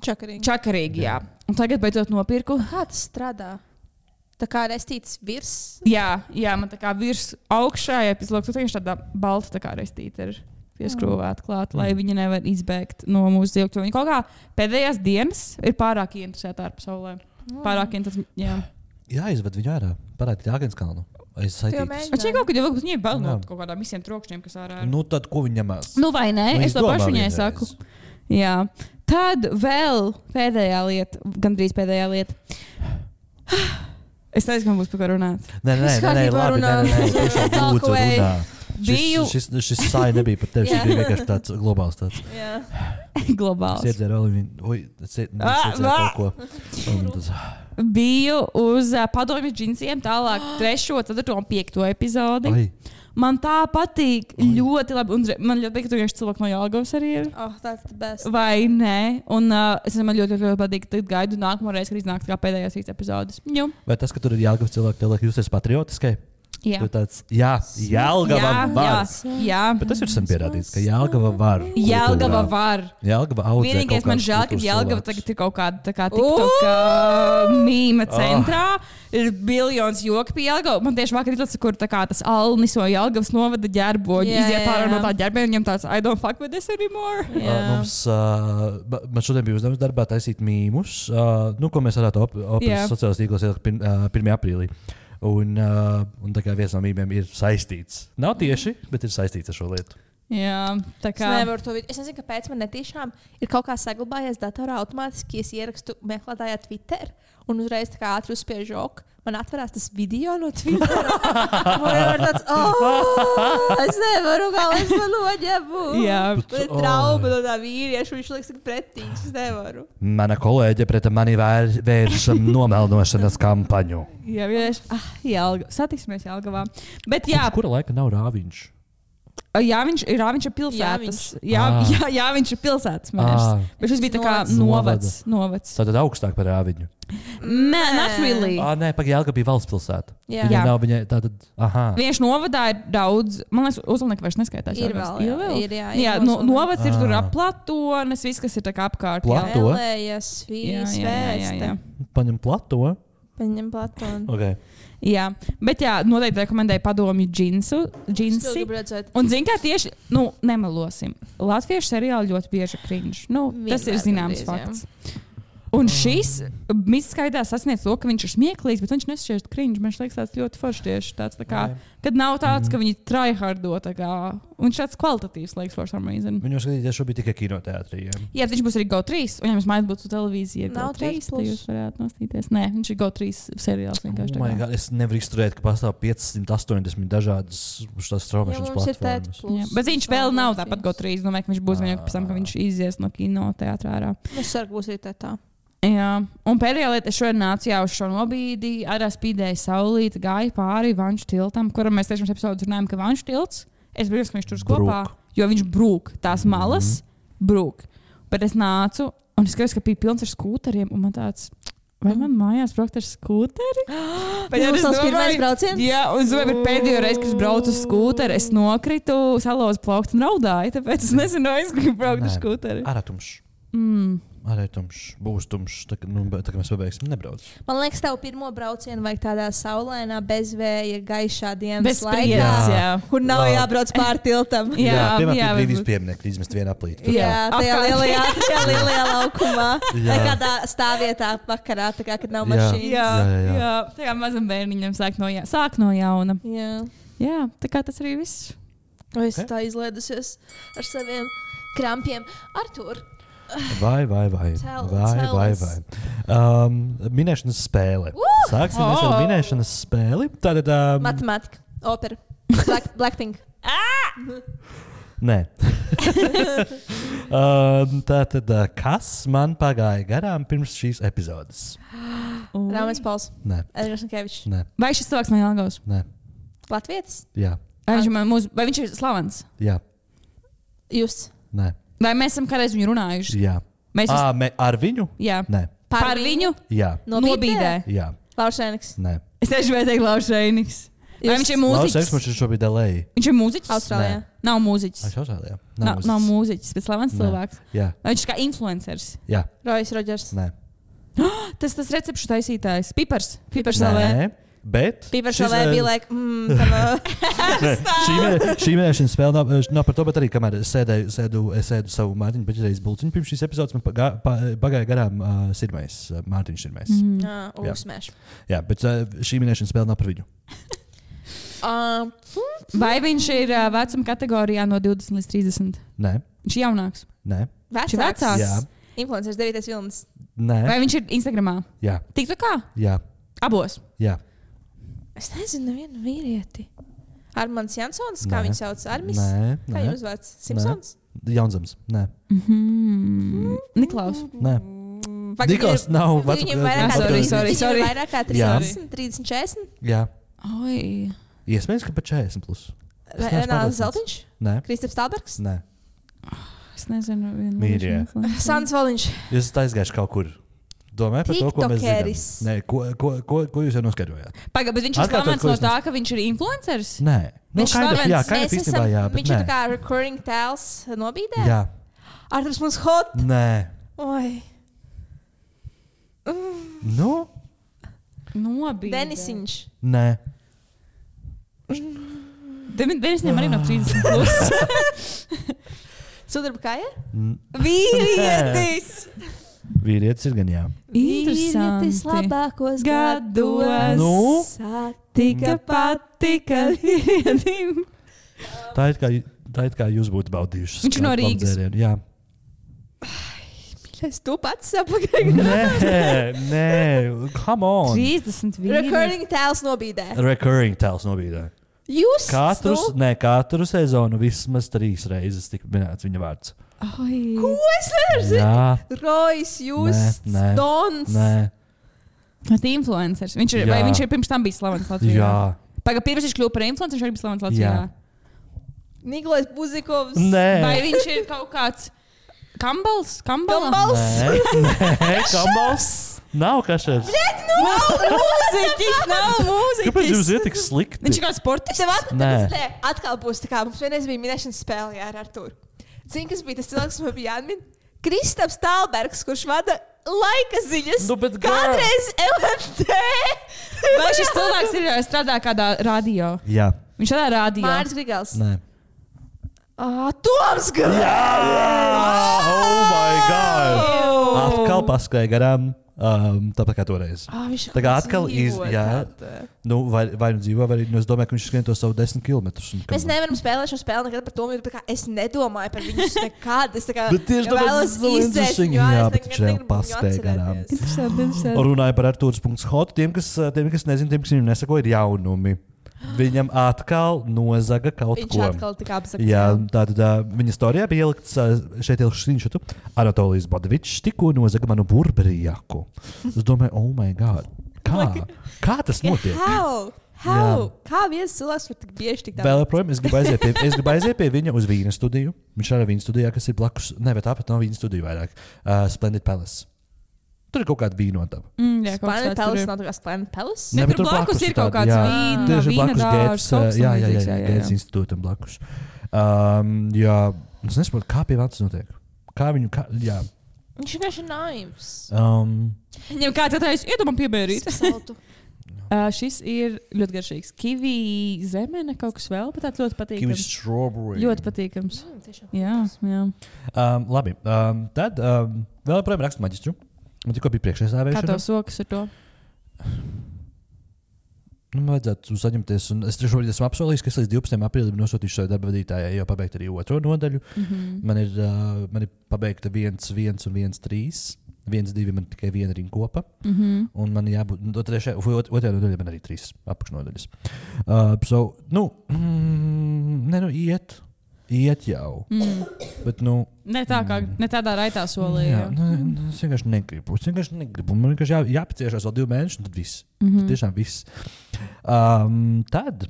čakarīgi, jā. Un tagad beidzot nopirku. Kā tas strādā? Tā kā restīts virs? Jā, man tā kā virs augšā, ja pēc logu, tur tāda balta tā kā restīta ir pieskrūvēt klāt, lai viņi nevar izbēgt no mūsu dzīvokļa. Viņi kaut kā pēdējās dienas ir pārāk interesēti ar pasaulē. Pārāk interesēti, jā. Jāizved viņu ārā, parādīt Jāgenskalnu. Aiz saitītas. Šī kaut kad jau viņiem bail no kaut kādām visiem trokšņiem, kas ārā ir. Nu tad, ko viņi ņemās? Nu vai nē, es to pašu viņai saku. Jā. Tad vēl pēdējā lieta, gandrīz pēdējā lieta. Es teicu, ka man būs par ko runāt. Nē, labi, tiešām lūdzu runā. Šis sāja nebija par tevi, šis bija vienkārši tāds globāls tāds. Jā. Globāls. Es iedzēru vēl viņu, kaut ko. Biju uz padomju džinsiem tālāk 3., 4. un 5. epizodi. Man tā patīk ļoti labi. Un man ļoti patīk, ka tur cilvēki no Jelgavas arī ir. That's the best. Vai ne? Un man ļoti patīk, ka gaidu nākamo reizi, kad iznāks kā pēdējās 3 epizodes. Vai tas, ka tur ir Jelgavas cilvēki, tev liek justies patriotiskai? Jā, Jelgava var. Jā. Bet tas ir sen pierādīts, ka Jelgava var. Jelgava var. Jelgava audzē. Vienīgais man žēl, ka Jelgava tagad ir kaut kāda tā kā TikTok mīma centrā. Ir biljons joki pie Jelgava. Man tieši vakar ir tas, kur tā kā tas Alnis no Jelgavas novada ģerboģi. Iziet ārā no tā ģerboģa, viņam tāds I don't fuck with this anymore. Man šodien bija uzdevums darbā taisīt mīmus, ko mēs varētu sociālajos tīklos ielikt 1. aprīlī. Un tā kā viens no mīmiem ir saistīts. Nav tieši, bet ir saistīts ar šo lietu. Jā, tā kā. Es nezinu, kāpēc man netiešām ir kaut kā saglabājies datorā automātiski, ja es ierakstu meklētājā Twitter un uzreiz tā kā ātri uzspiežu ok. Man atverās tas video no Twitter. Man ir tāds, es nevaru, kā es man noņemu. Jā. Man ir trauma no tā vīrieša, viņš liekas tik pretīgs, es nevaru. Mana kolēģe pret mani vērš nomelnošanas kampaņu. Jā, vienkārši, satiksimies Jelgavā. Bet jā. Kura laika nav Rāviņš? Jā, viņš ir pilsētas. Jā, viņš ir pilsētas mērs. Bet šis bija tā kā novads. Tātad augstāk par Rāviņu. Not really. Nē, Jelgava bija valsts pilsēta. Jā. Nav viņa tātad, Vienš novadā ir daudz, man liekas, Uzlnieka vairs neskaitās. Ir vēl. Jā, novads ir tur ap Platones, viss, kas ir tā kā apkārt. Plato? Elējas, Vīs, Vēste. Paņem Plato? Paņem Platonu. Okay. Jā, bet jā, noteikti rekomendēju padomju džinsi. Un zin kā tieši, nemelosim. Latviešu seriāli ļoti bieži cringe. Tas ir zināms fakts. Un šis mītskaitā sasniedz to, ka viņš ir smieklīgs, bet viņš nešķiet cringe. Man liekas, tāds ļoti foršs tieši tāds, tā kā, kad nav tāds, ka viņi tryhardo, tā kā, un viņš tāds kvalitatīvs, liekas, for some reason. Viņu skatīties šobrīd tikai kinoteātrī. Jā, viņš būs arī GO3, un ja jums mājās būtu televīzija Nav GO3, tad jūs varētu nostīties. Nē, viņš ir GO3 seriāls vienkārši. God, es nevaru izturēt, ka pastāv 580 dažādas straumēšanas platformas. Bet viņš vēl nav tāpat GO3, domāju, ka viņš būs vienkārši pēc tam, ka viņš izies no kinoteātrā ārā. Es ceru, ka būs arī tā. Jā, un pēdējā lieta, es šodien nācu jau uz šo nobīdi, ārā spīdēja saulīte, gāja pāri Vanšu tiltam, kuram mēs tiešām epizodus runājam, ka Vanšu tilts, es brīnos, ka viņš tur kopā, jo viņš brūk, tās malas brūk. Bet es nācu, un es skatos, ka bija pilns ar skūteriem, un man tāds, vai man mājās braukt ar skūteri? Bet tas būs pirmais brauciens? Jā, un zinu, bet pēdējo reizi, kad es braucu uz skūteri, es nokritu, salauzu plauktu un raudāju, tāpēc es nezinu, es gribu braukt ar skūteri. Ārātumšs. Arī tumšs, būs tumšs, tā kā mēs pabeigsim, nebrauc. Man liekas, tev pirmo braucienu vajag tādā saulainā, bezvēja, gaišā dienas Bez laikā. jā. Kur nav jābrauc pār tiltam. Piemēram, brīvības pieminieku izmest vienā plītā. Jā, tajā lielajā laukumā. Vai kādā stāvvietā vakarā, tā kā, kad nav mašīnas. Jā. Tā kā mazam bērniņam sāk no jauna. Jā, tā kā tas arī viss. Es tā izlēdusies ar saviem krampiem. Artur. Vai. Minēšanas spēle. Sāksim ar minēšanas spēli. Tātad. Matemātika, opera, Blackpink. Nē. Tātad, kas man pagāja garām pirms šīs epizodes? Rāmens Pauls. Nē. Edgars Nikevičs. Nē. Vai šis cilvēks no Jelgavas? Nē. Latvietis? Jā. Vai viņš ir slavens? Jā. Jūs? Nē. Vai mēs esam kādreiz viņu runājuši? Jā. Ar viņu? Jā. Nē. Par viņu? Jā. Nobīdē? Jā. Laušēniks? Nē. Es tieši gribēju teikt Laušēniks. Vai viņš ir mūziķis? Viņš ir šobrīd LA. Viņš ir mūziķis? Austrālijā. Nav mūziķis. Austrālijā. Nav mūziķis, bet slavens cilvēks. Jā. Vai viņš ir kā influenceris? Jā. Rojs Rodžers. Nē. Tas recepšu taisītājs. Pipars. Nē. Bet Pipars vēl bija like, šī minēšanas spēle nav par to, bet arī kamēr es sēdu savu Mārtiņu Beķereizes bulciņu pirms šīs epizodes, man pagāja garām Mārtiņš Sirmais. Uzsmēš. Jā, bet šī minēšanas spēle nav par viņu. Vai viņš ir vecuma kategorijā no 20 līdz 30? Nē. Viņš ir jaunāks? Nē. Vecāks? Jā. Influencers 9. vilnis. Nē. Vai viņš ir Instagramā? Jā. TikTokā? Jā. Abos? Jā. Es nezinu nevienu vīrieti. Armands Jansons, kā viņu sauc? Armis? Nē. Kā viņu uzvārds? Simpsons? Jaunzams. Nē. Niklaus? Nē. Niklaus nav Viņam vairāk kā 30, 30, 40? Jā. Oi. Iespējams, ka pat 40 plus. Renāls Zeltiņš? Nē. Kristaps Stalbergs? Nē. Es nezinu. Mīļie. Sants Voliņš? Jūs esat aizgājuši kaut kur. Domāju par to, ko mēs zinām. Nē, ko jūs jau noskaidrojāt? Pagaid, bet viņš ir slavens no tā, ka viņš ir influenceris? Nē. Viņš slavens. Jā, kā jau īstenībā, jā. Viņš ir tā kā recurring tēls nobīdē? Jā. Arturs mums hot? Nē. Oi. Nu? Nobīdē. Denisiņš? Nē. Denisņam arī no 30 plus. Sudarba kāja? Vīrietis! Vīrietis ir gan jā. Vīrietis labākos gados. Nu? Satika patika vīrietim. Tā it kā jūs būtu baudījuši. Viņš ir no Rīgas. Jā. Es to pats sapagaļu. Nē. Come on. 30 vīrietis. Recurring tēls nobīdē. Recurring tēls nobīdē. Jūs? Katru sezonu vismaz 3 reizes tika minēts viņa vārds. Oi. Ko es nezinu? Jā. Rojs, Justs, Dons. Nē. Bet influencers. Vai viņš ir pirms tam bijis slavens Latvijā? Jā. Pagaid, pirms viņš kļuva par influenceru, viņš arī bija slavens Latvijā? Jā. Nikolais Buzikovs. Nē. Vai viņš ir kaut kāds Kambals? Kambals? Nē, Kambals. Nav kašers. Nav mūziķis. Kāpēc jūs iet tik slikti? Viņš ir kā sportists? Nē. Atkal būs tā kā mums vienreiz bija minēšanas spēle ar Arturu. Zini, kas bija tas cilvēks, kas man bija jāmin? Kristaps Stalbergs, kurš vada laika ziņas. Nu, bet kādreiz LMT. Vai šis cilvēks ir strādā kādā radio? Jā. Viņš strādā radio. Māris Grigals. Nē. Toms Grigals. Jā! Oh my God! Atkal paskrēja garām. Tāpat kā toreiz. Tā kā atkal vai nu dzīvo, vai es domāju, ka viņš skrien to savu 10 km. Mēs nevaram spēlēt šo spēli nekad par to, jo es nedomāju par viņus nekad. Es bet tieši tāpēc jā, bet viņš reāli paskrēja garām. Interesanti. Runāja par Artūrs.hot. Tiem, kas nezin, tiem, kas viņam nesako, ir jaunumi. Viņam atkal nozaga kaut viņš ko. Viņš atkal tika apzakts. Jā, tātad viņa storijā bija ielikts šeit screenshot. Anatolijas Bodavičs tikko nozaga manu burberijaku. Es domāju, oh my god. Kā tas notiek? How? Kā viens cilvēks var tik bieži tik daudz? Vēl joprojām, es gribu aiziet pie viņa uz Vīna studiju. Viņš ir Vīna studijā, kas ir blakus, ne, bet tāpat nav Vīna studija vairāk. Splendid Palace. Tur ir kaut kāda vīnotava. Splendid Palace nav tā kā Splendid Palace? Ne, tur blakus ir kaut kāds vīna dārs. Gētas institūtam blakus. Jā, es nesaprotu, kā pie Vantas notiek. Jā. Viņš vienkārši ir naivs. Viņam kāds atrais, iedomam piebērīt. Šis ir ļoti garšīgs. Kiwi zemene, kaut kas vēl, bet tāds ļoti patīkams. Kiwi strawberry. Ļoti patīkams. Jā. Labi, tad vēl joprojām rakstu maģistru. Man tikko bija priekšsēdēšana. Kā tev sokas ar to? Vajadzētu saņemties. Es šobrīd esmu apsolījis, ka es līdz 12. aprīlim nosūtīšu savu darba vadītājai jau pabeigt arī otro nodaļu. Man ir pabeigta 1, 1 un 1, 3. 1, 2 man tikai viena rinkopa. Un man jābūt otrajā nodaļā man arī 3 apakšnodaļas. Iet jau. Bet, ne tādā raitā solī. Es vienkārši negribu. Man vienkārši jāpaciešās vēl 2 mēnešus, un tad viss. Tiešām viss. Tad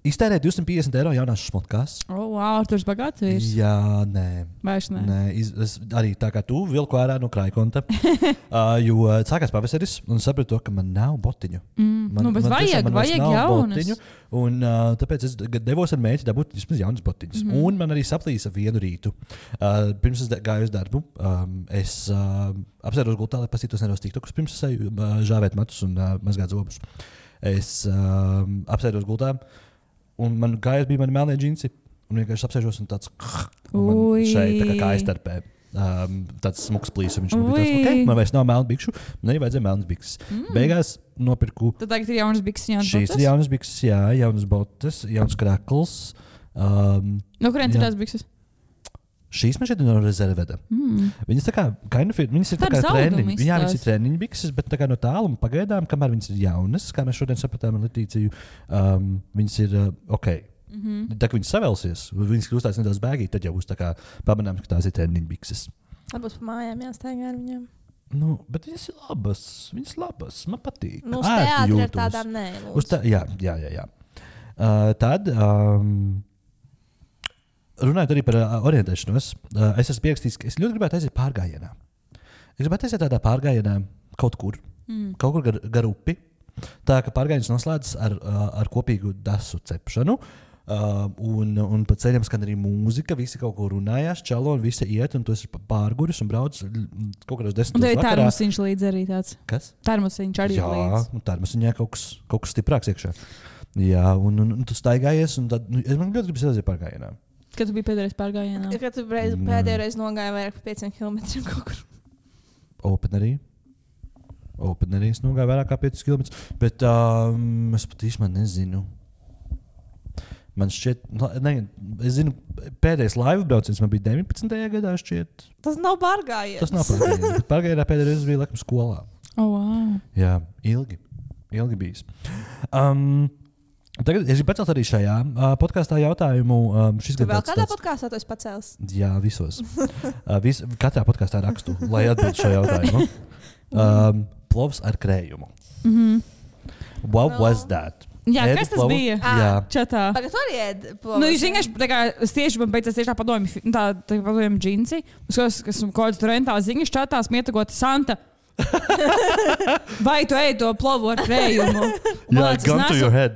iztērēt 250 eiro jaunās šmotkās. Wow, tur ir bagāts vīrs. Jā, nē. Vairs nē. Es arī tā kā tu vilku ārā no krājkonta. Jo sākās pavasaris un sapratu, ka man nav botiņu. Bet vajag jaunas. Botiņu, un tāpēc es devos ar mērķi dabūt vismaz jaunas botiņas. Un man arī saplīsa vienu rītu. Pirms es gāju uz darbu, es apsēros gultā, lai pasītos neros tiktokus, pirms es eju žāvēt matus un mazgāt zobus. Es apsēros gultā. Un man gājās bija mani melnie džinsi. Un vienkārši apsēžos un tāds šeit tā kā aiztarpē. Tāds smuks plīs. Viņš man bija tāds, man vairs nav melnu bikšu. Man arī vajadzēja melnas bikses. Beigās nopirku. Tad tagad ir jaunas bikses, jaunas botas? Šīs ir jaunas bikses, jā. Jaunas botas, jauns krakls. No kurienes ir tās bikses? Šīs man šeit ir no rezerveda. Viņas tā kā, viņas ir tā kā treniņi. Jā, viņas ir treniņu bikses, bet tā kā no tāluma pagaidām, kamēr viņas ir jaunas, kā mēs šodien sapratām ar Letīciju, viņas ir ok. Tā kā viņas savelsies, viņas kļūstās nedaudz bēgīgi, tad jau būs tā kā pamanāms, ka tās ir treniņu bikses. Varbūt pa mājām jāstaigā ar viņiem. Bet viņas ir labas, man patīk. Uz teātri ar tādām nē. Jā. Tad... Runājot arī par orientēšanos, es esmu pierakstījis, ka es ļoti gribētu aiziet pārgājienā. Es gribētu aiziet tādā pārgājienā kaut kur gar upi. Tā kā pārgājiens noslēdzas ar kopīgu dasu cepšanu. Un pa ceļam skan arī mūzika, visi kaut ko runājās, čalo un visi iet, un tu esi pārguris un brauc kaut kādos 10 vakarā. Un tev ir termosiņš līdz arī tāds. Kas? Termosiņš arī līdz. Jā, termosiņā kaut kas stiprāks iekšā. Jā, un tu staigājies, un tad, man ļoti gribas aiziet pārgājienā. Kad tu biji pēdējais pārgājienā? Kad tu pēdējo reizi nogāji vairāk par 5 km kaut kur. Openerī es nogāju vairāk kā 5 km. Bet es pat īsti nezinu. Man šķiet, es zinu, pēdējais laivu brauciens man bija 19. gadā šķiet. Tas nav pārgājiens. Tas nav pārgājiens, bet pārgājienā pēdējais reizi bija laikam skolā. Wow. Jā, ilgi bijis. Tagad es gribu pacelt arī šajā podkāstā jautājumu. Tu vēl kādā podkāstā tu esi pacēlis? Jā, visos. Katrā podkāstā rakstu, lai atbildu šo jautājumu. Plovs ar krējumu. What was that? Jā, kas tas bija? Jā. Čatā. Tagad tu arī ēd plovu. Jūs vienkārši, tieši man beidzās tieši tā padomju džinsi. Kas kaut kāds tur rentā ziņas čatā smietagot Santa. Vai tu ej to plovu ar krējumu?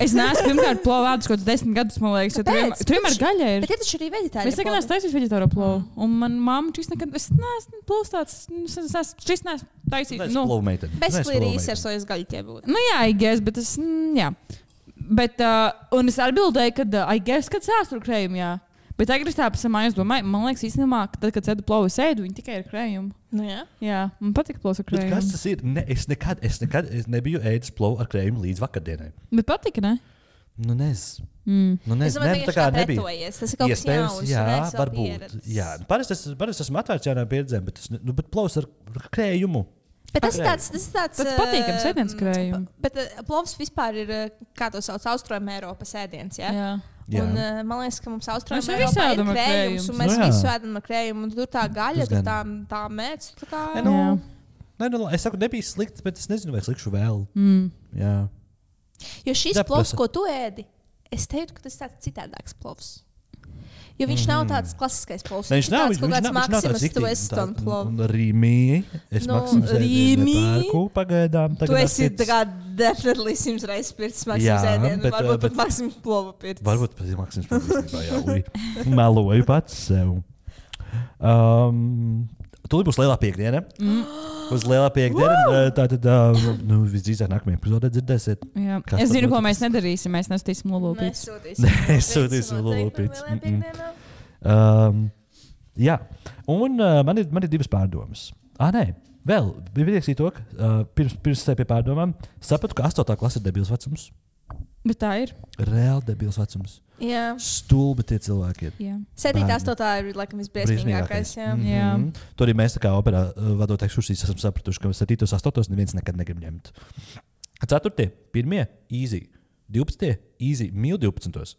Es neesmu pirmkārt plovu ēdus kaut 10 gadus, man liekas, jo tur vienmēr gaļa ir. Bet ja taču arī veģetāri. Es nekad neesmu taisījis veģetāro plovu. Un man mamma šis nekad, es neesmu plovs tāds, šis neesmu taisījis. Bezklīri izsarsojas gaļa tie būtu. Jā, I guess, bet jā. Bet, un es atbildēju, kad I guess, kad sāstur krējumu, jā. Bet tagad es tā pasamājos domāju, man liekas īstenībā, ka tad, kad sēdu plovu sēdu, viņi tikai ir krējumu. Nu, jā. Jā, man patīk plovs ar krējumu. Kas tas ir? Es nekad nebiju ēdis plovu ar krējumu līdz vakardienai. Bet patika, ne? Nu, nezinu. Es domāju, ka tā pretojies. Tas ir kaut kas jauns. Jā, varbūt. Jā. Parasti esmu atvērts jaunām pieredzēm, bet plovs ar krējumu. Bet tas ir tāds patīkams ēdiens krējumu. Bet plovs vispār ir, kā to sauc, Austrum Eiropas ēdiens, jā? Jā. Un man liekas, ka mums Austrum Eiropā ir krējums, un mēs visu ēdam ar krējumu, un tur tā gaļa, tur tā mēdz. Es saku, nebija slikts, bet es nezinu, vai slikšu vēl. Jā. Jo šis plovs, ko tu ēdi, es teiktu, ka tas ir tāds citādāks plovs. Jo viņš nav tāds klasiskais plovs. Viņš nav tāds Maximus Weston plovs. Un Rīmī. Es Maximus ēdienu nepērku pagaidām. Tu esi definitely 100 reizes pirts Maximus ēdienu. Varbūt pat Maximus plovu pirts. Varbūt pat Maximus plovu. Jā, meloju pats sev. Tūlīt būs lielā piekdiena. Uz lielā piekdiena. Tātad visdrīzāk nākamajā epizodē dzirdēsiet. Es zinu, ko mēs nedarīsim. Mēs nesūtīsim lulupītus. Nesūtīsim lulupītus. Jā. Un man ir divas pārdomas. Nē. Vēl bija ierakstīt to, ka pirms es pie pārdomām sapratu, ka 8. klase ir debils vecums. Bet tā ir. Reāli debils vecums. Jā. Stulbi tie cilvēki ir. 7. 8. ir laikam visbriesmīgākais. Tur arī mēs tā kā operā vadot ekskursijas esam sapratuši, ka 7. 8. neviens nekad negrib ņemt. 4. 1. easy. 12. easy. Mīl 12.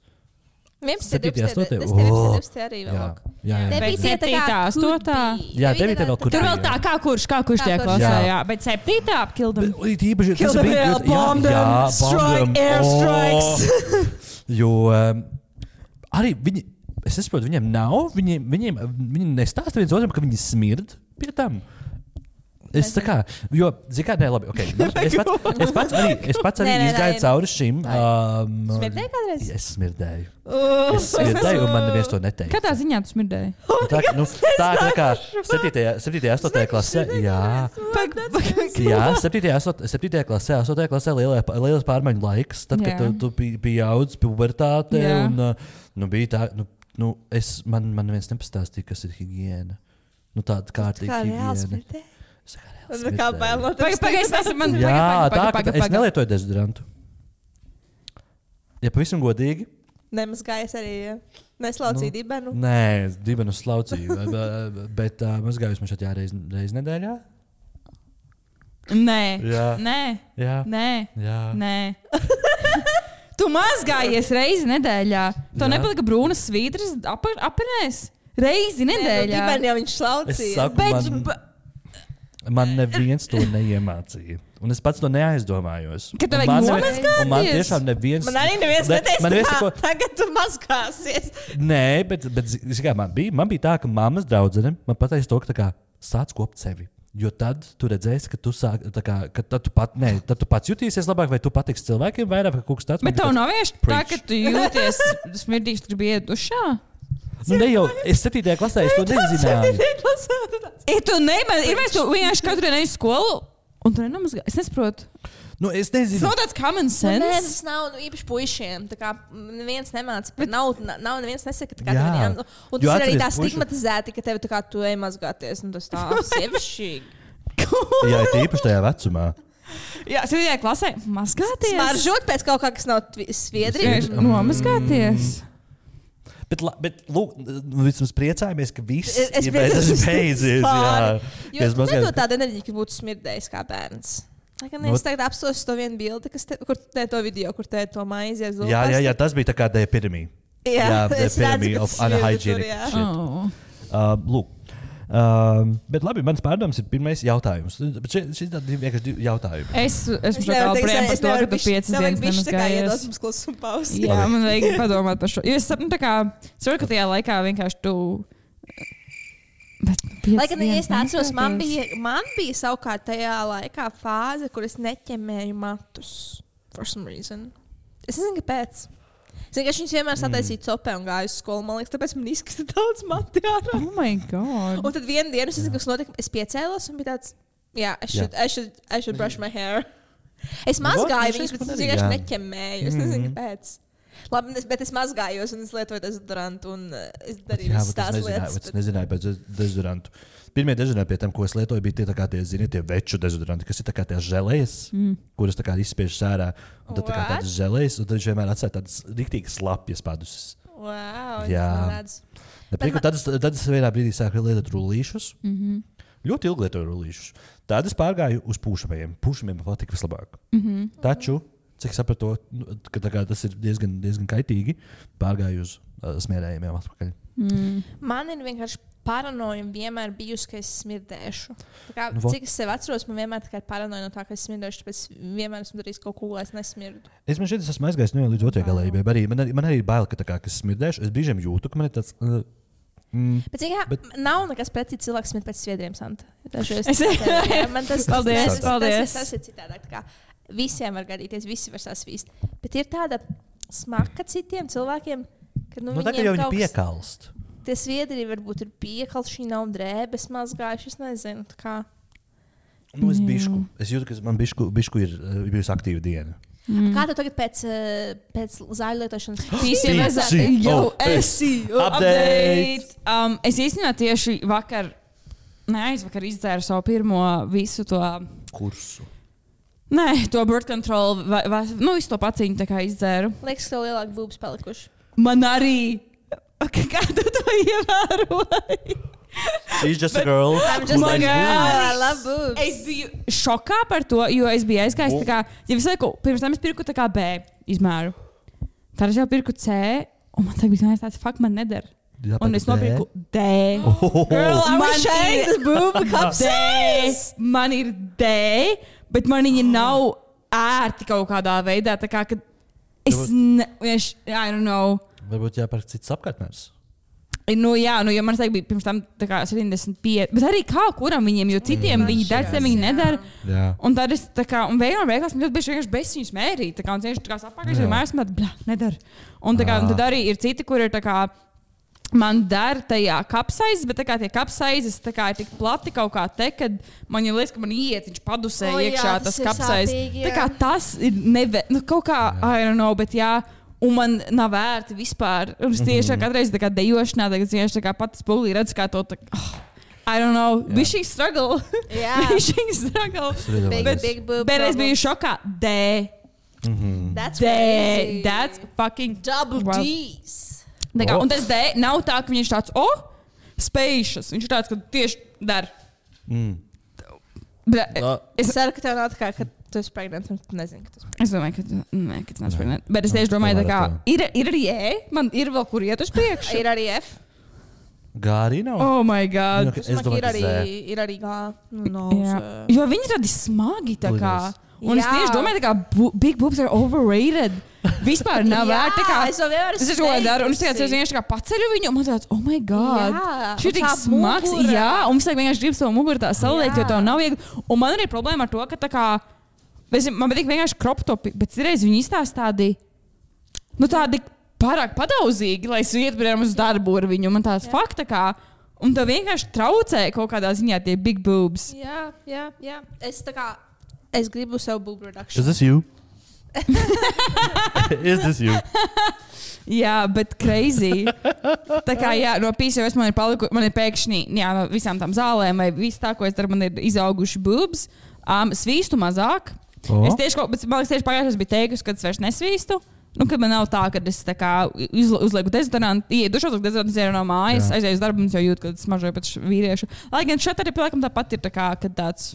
11. 12. arī vēl. Jā. 9. 8. Jā, 9. vēl kur. Tur vēl tā, kā kurš tie klasē, jā. Bet 7. apkildam. Īpaši, kill them hell, bomb them, strike, airstrikes. Jo arī viņi, es saprotu, viņiem nav, viņi nestāsta viens otram, ka viņi smird pie tam. Es tā kā, jo, zini kā, labi, okay. Es pats arī izgāju cauri šim. Smirdēji kādreiz? Es smirdēju. Un man neviens to neteica. Kādā ziņā tu smirdēji? Tā kā 7. 8. klasē, jā, 7. klasē, 8. klasē lielais pārmaiņu laiks, tad, kad tu pieaudz pubertāte, un bija tā, man neviens nepastāstīja, kas ir higiēna. Tāda kārtīga higiēna. Kā bail no tevis? Es nelietoju dezodorantu. Ja pavisam godīgi. Nemazgājies arī, neslaucīja dibenu? Nē, dibenu slaucīju, bet mazgājos man šeit reiz nedēļā. Nē. Tu mazgājies reizi nedēļā. Tev nepalika brūnas svītras apenēs? Reizi nedēļā. Dibenu jau viņš slaucīja. Man neviens to neiemācīja. Un es pats to neaizdomājos. Ka tev vajag nomazgāties? Man tiešām neviens... Man arī neviens neteica, tagad tu mazgāsies. Nē, bet man bija tā, ka mammas draudzene man pateica to, ka tā kā sāc kopt sevi. Jo tad tu redzēsi, ka tu sāk, tā kā, ka tad tu pats jutīsies labāk, vai tu patiks cilvēkiem vairāk, ka kaut kas tāds. Bet tev nav vienkārši tā, ka tu jūties smirdīgs, tu gribi iet dušā? Ne jau, es 7. klasē, es to nezināju. Mēs to vienkārši katru dienu uz skolu, un tu nenomazgā. Es nesaprotu. Es nezinu. Tas nav tāds common sense. Nē, tas nav īpaši puišiem. Tā kā neviens nemāca, nav neviens nesaka, tā kā tev viņiem. Un tas ir arī tā stigmatizēti, ka tev tā kā tu ej mazgāties, un tas tā sievišķīgi. Jā, ir īpaši tajā vecumā. Jā, 7. klasē mazgāties. Smaržot pēc kaut kā, kas nav sviedri. Nomazgāties. Bet lūk, vismaz priecājamies, ka viss ir beidzies. Jo tu nedod tādu enerģiju, ka būtu smirdējis kā bērns. Es tagad apstos to vienu bildi, kur te to video, kur te to maizi aiz lūpas. Jā, tas bija tā kā the epidemy. Jā, the epidemy of unhygienic shit. Lūk. Bet labi, mans pārdoms ir pirmais jautājums. Bet šis ir vienkārši jautājumi. Es esmu priem par to, ka tu 5 dienas nemazgājies. Jā, man vajag padomāt par šo. Jo es saprotu, ka tajā laikā vienkārši tu... Lai gan es atceros, man bija savukārt tajā laikā fāze, kur es neķemēju matus. For some reason. Es nezinu, kāpēc. Es vienkārši vienmēr sataisīju copē un gāju uz skolu. Man liekas, tāpēc man izskata daudz mati ārā. Oh my God. Un tad vienu dienu, es nezinu, kas notika, es piecēlos un bija tāds, I should brush my hair. Es mazgāju viņus, bet es vienkārši neķemēju. Es nezinu, kāpēc. Labi, bet es mazgājos un es lietoju dezodorantu un es darīju visas tās lietas. Es nezināju pēc dezodorantu. Pirmie dezodoranti pie tiem, ko es lietoju, bija tie, tie, zini, tie veču dezodoranti, kas ir tā kā tie želejas, kuras tā kā izspiež sērā. Un tad tā kā tādas želejas, un tad viņš vienmēr atstāja tādas riktīgas slapjas padusis. Wow, jā. Tad es vienā brīdī sāku lietot rullīšus. Ļoti ilgi lietoju rullīšus. Tad es pārgāju uz pūšamajiem. Pūšamiem man patika vislabāk. Taču, cik sapratu, ka tas ir diezgan kaitīgi, pārgāju uz smierējumiem atpakaļ. Man ir vienkārši paranoja vienmēr bijusi, ka es smirdēšu. Cik es sev atceros, man vienmēr ir paranoja no tā, ka es smirdēšu, tāpēc vienmēr esmu darījis kaut ko, lai es nesmirdu. Es man šeit esmu aizgājis līdz otrajai galējībai. Man arī ir bail, ka es smirdēšu. Es brīžiem jūtu, ka man ir tāds... Bet nav nekas pretī cilvēks smirt pēc sviedriem, Santa. Paldies. Tas ir citādāk. Visiem var gadīties, visi var sasvīst. Bet ir tāda smaka citiem cilvēkiem, ka tā kā jau viņi piekalst. Tie sviedri varbūt ir piekalši, viņi nav drēbes mazgājuši, es nezinu. Es bišku. Es jūtu, ka man bišku ir bijusi aktīva diena. Kā tu tagad pēc zāļu lietošanas? Update! Es īstenībā tieši aizvakar izdzēru savu pirmo visu to kursu. Nē, to birth control, visu to paciņu tā kā izdzēru. Liekas, ka tev lielāk būbas palikuši. Man arī. Kā tu to ievēroji? She's just a girl. I'm just a girl. I love boobs. Es biju šokā par to, jo es biju aizgājis tā kā, ja visu laiku, pirms tam es pirku tā kā B izmēru. Tad es jau pirku C, un man tagad bija tāds, fuck, man neder. Un es nopirku D. Girl, I was sharing this boob cup size. Man ir D, bet man viņa nav ērti kaut kādā veidā, tā kā, ka I don't know. Varbūt jāpērk cits apkārtnērs. Jā, jo man bija pirms tam 75, bet arī kā kuram viņiem, jo citiem viņi dara, viņi nedara. Jā. Un tad es tā kā, un beigās man ļoti bieži vienkārši bez viņus mērīt, tā kā, un tieši tā kā sapākais, jo mēs nedara. Un tā kā, un tad arī ir citi, kur ir tā kā, man dara tajā kapsaizes, bet tā kā tie kapsaizes tā kā ir tik plati kaut kā te, kad man jau liekas, ka man iet, viņš padusē iekšā tas kapsaizes. Tā kā tas ir kaut kā, I don't know, bet jā. Un man nav vērti vispār. Un es tieši kādreiz tā kā dejošanā, tagad tieši tā kā pati spulī redzu, kā to tā, I don't know, bišķīgi struggle. Bišķīgi struggle. Bet es biju šokā. That's crazy. That's fucking double D's. Un tas D nav tā, ka viņš tāds, spacious. Viņš ir tāds, ka tieši dar. Es ceru, ka tev nav tā kā, ka tu esi pregnant, un tu nezini, ka tu esi pregnant. Es domāju, ka tas nav pregnant. Bet es tieši domāju, tā kā ir arī E, man ir vēl kur iet uz priekšu. Ir arī F. G arī nav? Oh my God. Es domāju, ir arī G. Jo viņi tādi smagi tā kā. Un es tieši domāju, ka big boobs are overrated. Vispār nav vērts. Es jau vienmēr esmu daru. Un es vienkārši paceļu viņu, un man tāds, oh my God. Šī ir tik smags. Jā, un es vienkārši gribu savu muguru tā saliekt, jo tev nav viegli. Un man arī problēma ar to, ka tā kā, man patīk vienkārši crop topi, bet reiz viņi izstāsta tādi pārāk padauzīgi, lai es ietu, piemēram, uz darbu ar viņu. Man tāds fakta kā, un tev vienkārši traucē kaut kādā ziņā tie big boobs. Jā. Es gribu sev boob reduction. Is this you? Is this you? Jā, bet crazy. Tā kā jā, no PCOS man ir pēkšņi, jā, no visām tām zālēm vai viss tā, ko es daru, man ir izauguši boobs. Svīstu mazāk. Es tieši, bet man liekas, tieši pagājušajā bija teikusi, ka es vairs nesvīstu. Kad man nav tā, ka es tā kā uzlieku dezodorantu, iedušos, dezodorantu no mājas, aizēju uz darbu, un es jau jūtu, ka es mažoju pēc vīriešu. Lai gan šeit arī, laikam, tāpat ir tā kā, kad tāds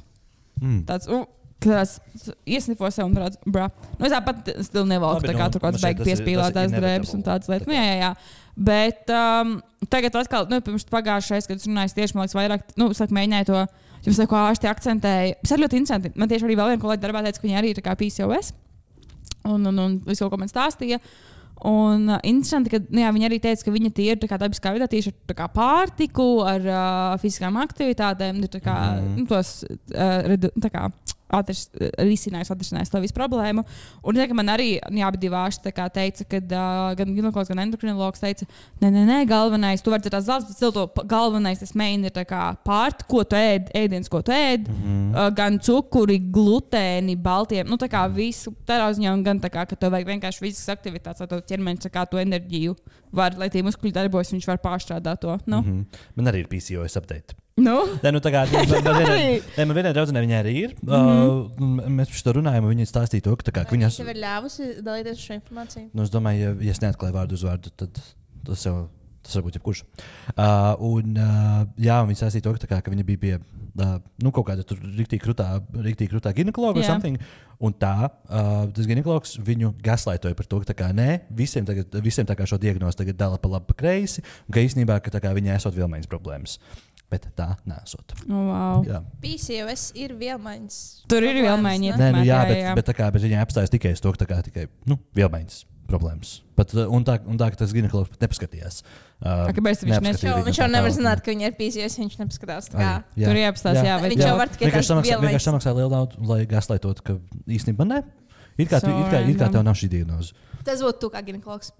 iesnifo sev un tāds, es tāpat stilu nevalku, tā kā tur kāds beig piespīlētās drēbes un tādas lietas. Jā. Bet tagad atkal, pirms pagājušais, kad es runāju tieši, man liekas, vairāk, es mēģināju to, jums ko ārsti akcentēja. Es arī ļoti interesanti. Man tieši arī vēl viena kolēģi darbā teica, ka viņi arī ir tā kā PCOS. Un visu kaut ko man stāstīja. Un interesanti, ka viņi arī teica, ka viņa tie ir dabiskā veidā tieši ar pārtiku, ar fiziskām aktivitātēm, tos risinājis to visu problēmu. Un man arī abi divi ārsti teica, ka gan ginekologs, gan endokrinologs teica, nē, galvenais, tu vari tās zāles, bet galvenais tas main ir pārt, ko tu ēdiens, ko tu ēd, gan cukuri, glutēni, baltiem, tā kā visu tādā ziņā, un gan ka tev vajag vienkārši fiziskas aktivitātes, lai tev ķermenis to enerģiju var, lai tie muskuļi darbojas, viņš var pārstrādāt to. Man arī ir PCOS update. Man vienai draudzenei viņai arī ir. Mēs par šo runājam, un viņa stāstīja to, ka viņas... Tev ir ļāvusi dalīties ar šo informāciju? Es domāju, ja es neatklāju vārdu uz vārdu, tad tas varbūt jebkurš. Un viņa stāstīja to, ka viņa bija pie kaut kāda tur riktīgi krutā ginekologa vai something. Un tas ginekologs viņu gaslaitoja par to, ka visiem šo diagnozi tagad dala pa labi, pa kreisi, un ka īstenībā, ka viņai esot vielmaiņas problēmas. Bet tā nesot. Wow. PCOS ir vielmaiņas. Tur ir vielmaiņas. Bet viņa apstājas tikai uz to, ka tikai vielmaiņas problēmas. Un tā, ka tas ginekologs pat nepaskatījās. Kāpēc viņš jau nevar zināt, ka viņa ir PCOS, viņš nepaskatās. Tur ir apstājas, viņš jau var tikai tās vielmaiņas. Vienkārši samaksā lielu naudu, lai gaslaitot, ka īstenībā ne. It kā tev nav šī diagnoze. Tas būtu tu kā ginekologs.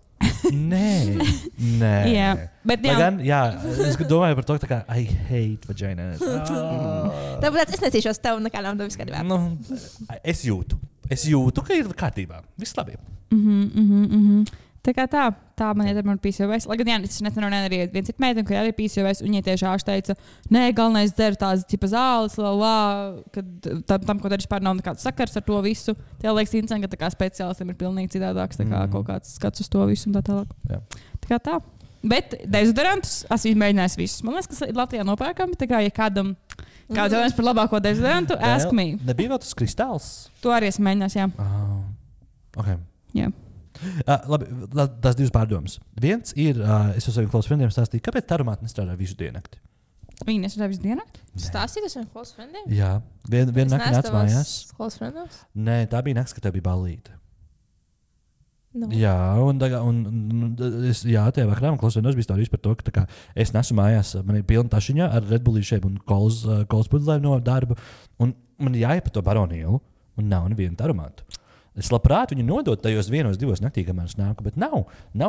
Nē. Bet es domāju par to, ka I hate vagina. Tāpēc es necīšos tev nekā nav viss kārtībā. Es jūtu, ka ir kārtībā. Viss labi. Tā kā tā man iedara man PCOS. Lai gan es nesen runāju arī viens cits meiteni, ka arī PCOS, un viņa tieši ārsts teica, nē, galvenais dzer tās tipa zāles, kad tam, ko dar vispār nav nekāds sakars ar to visu. Tie liekas interesanti, ka tā kā speciālistiem ir pilnīgi citādāks, tā kā kaut kāds skats uz to visu un tā tālāk. Tā kā tā. Bet dezodorantus esmu izmēģinājis visus. Man liekas, ka Latvijā nopērkami, tā kā, ja kādam jautājums par labāko dezodorantu, ask me. Nebija vēl tas kristāls? To arī esmu mēģinājis, jā. Ok. Jā. Labi, tās divas pārdomas. Viens ir, es ar saviem klausas friendiem stāstīju, kāpēc tā aromāta nestrādā visu diennakti? Viņi nestrādā visu diennakti? Stāstīt ar saviem klausas friendiem? Jā. Vienu nakti nāc mājās. Klausas friendos? Nē, tā bija nakts, ka tev bija ballīte. No. Jā, tajā vakarā man klausas friendos bija stāstījis par to, ka es nesu mājās, man ir pilna tašiņa ar Red Bullīšiem un kolas pudlēm no darba, un man jāiet pa to baronīlu, un nav nevienu aromātu. Es labprāt viņu nodot tajos 1-2 naktī, kamēr es nāku, bet nav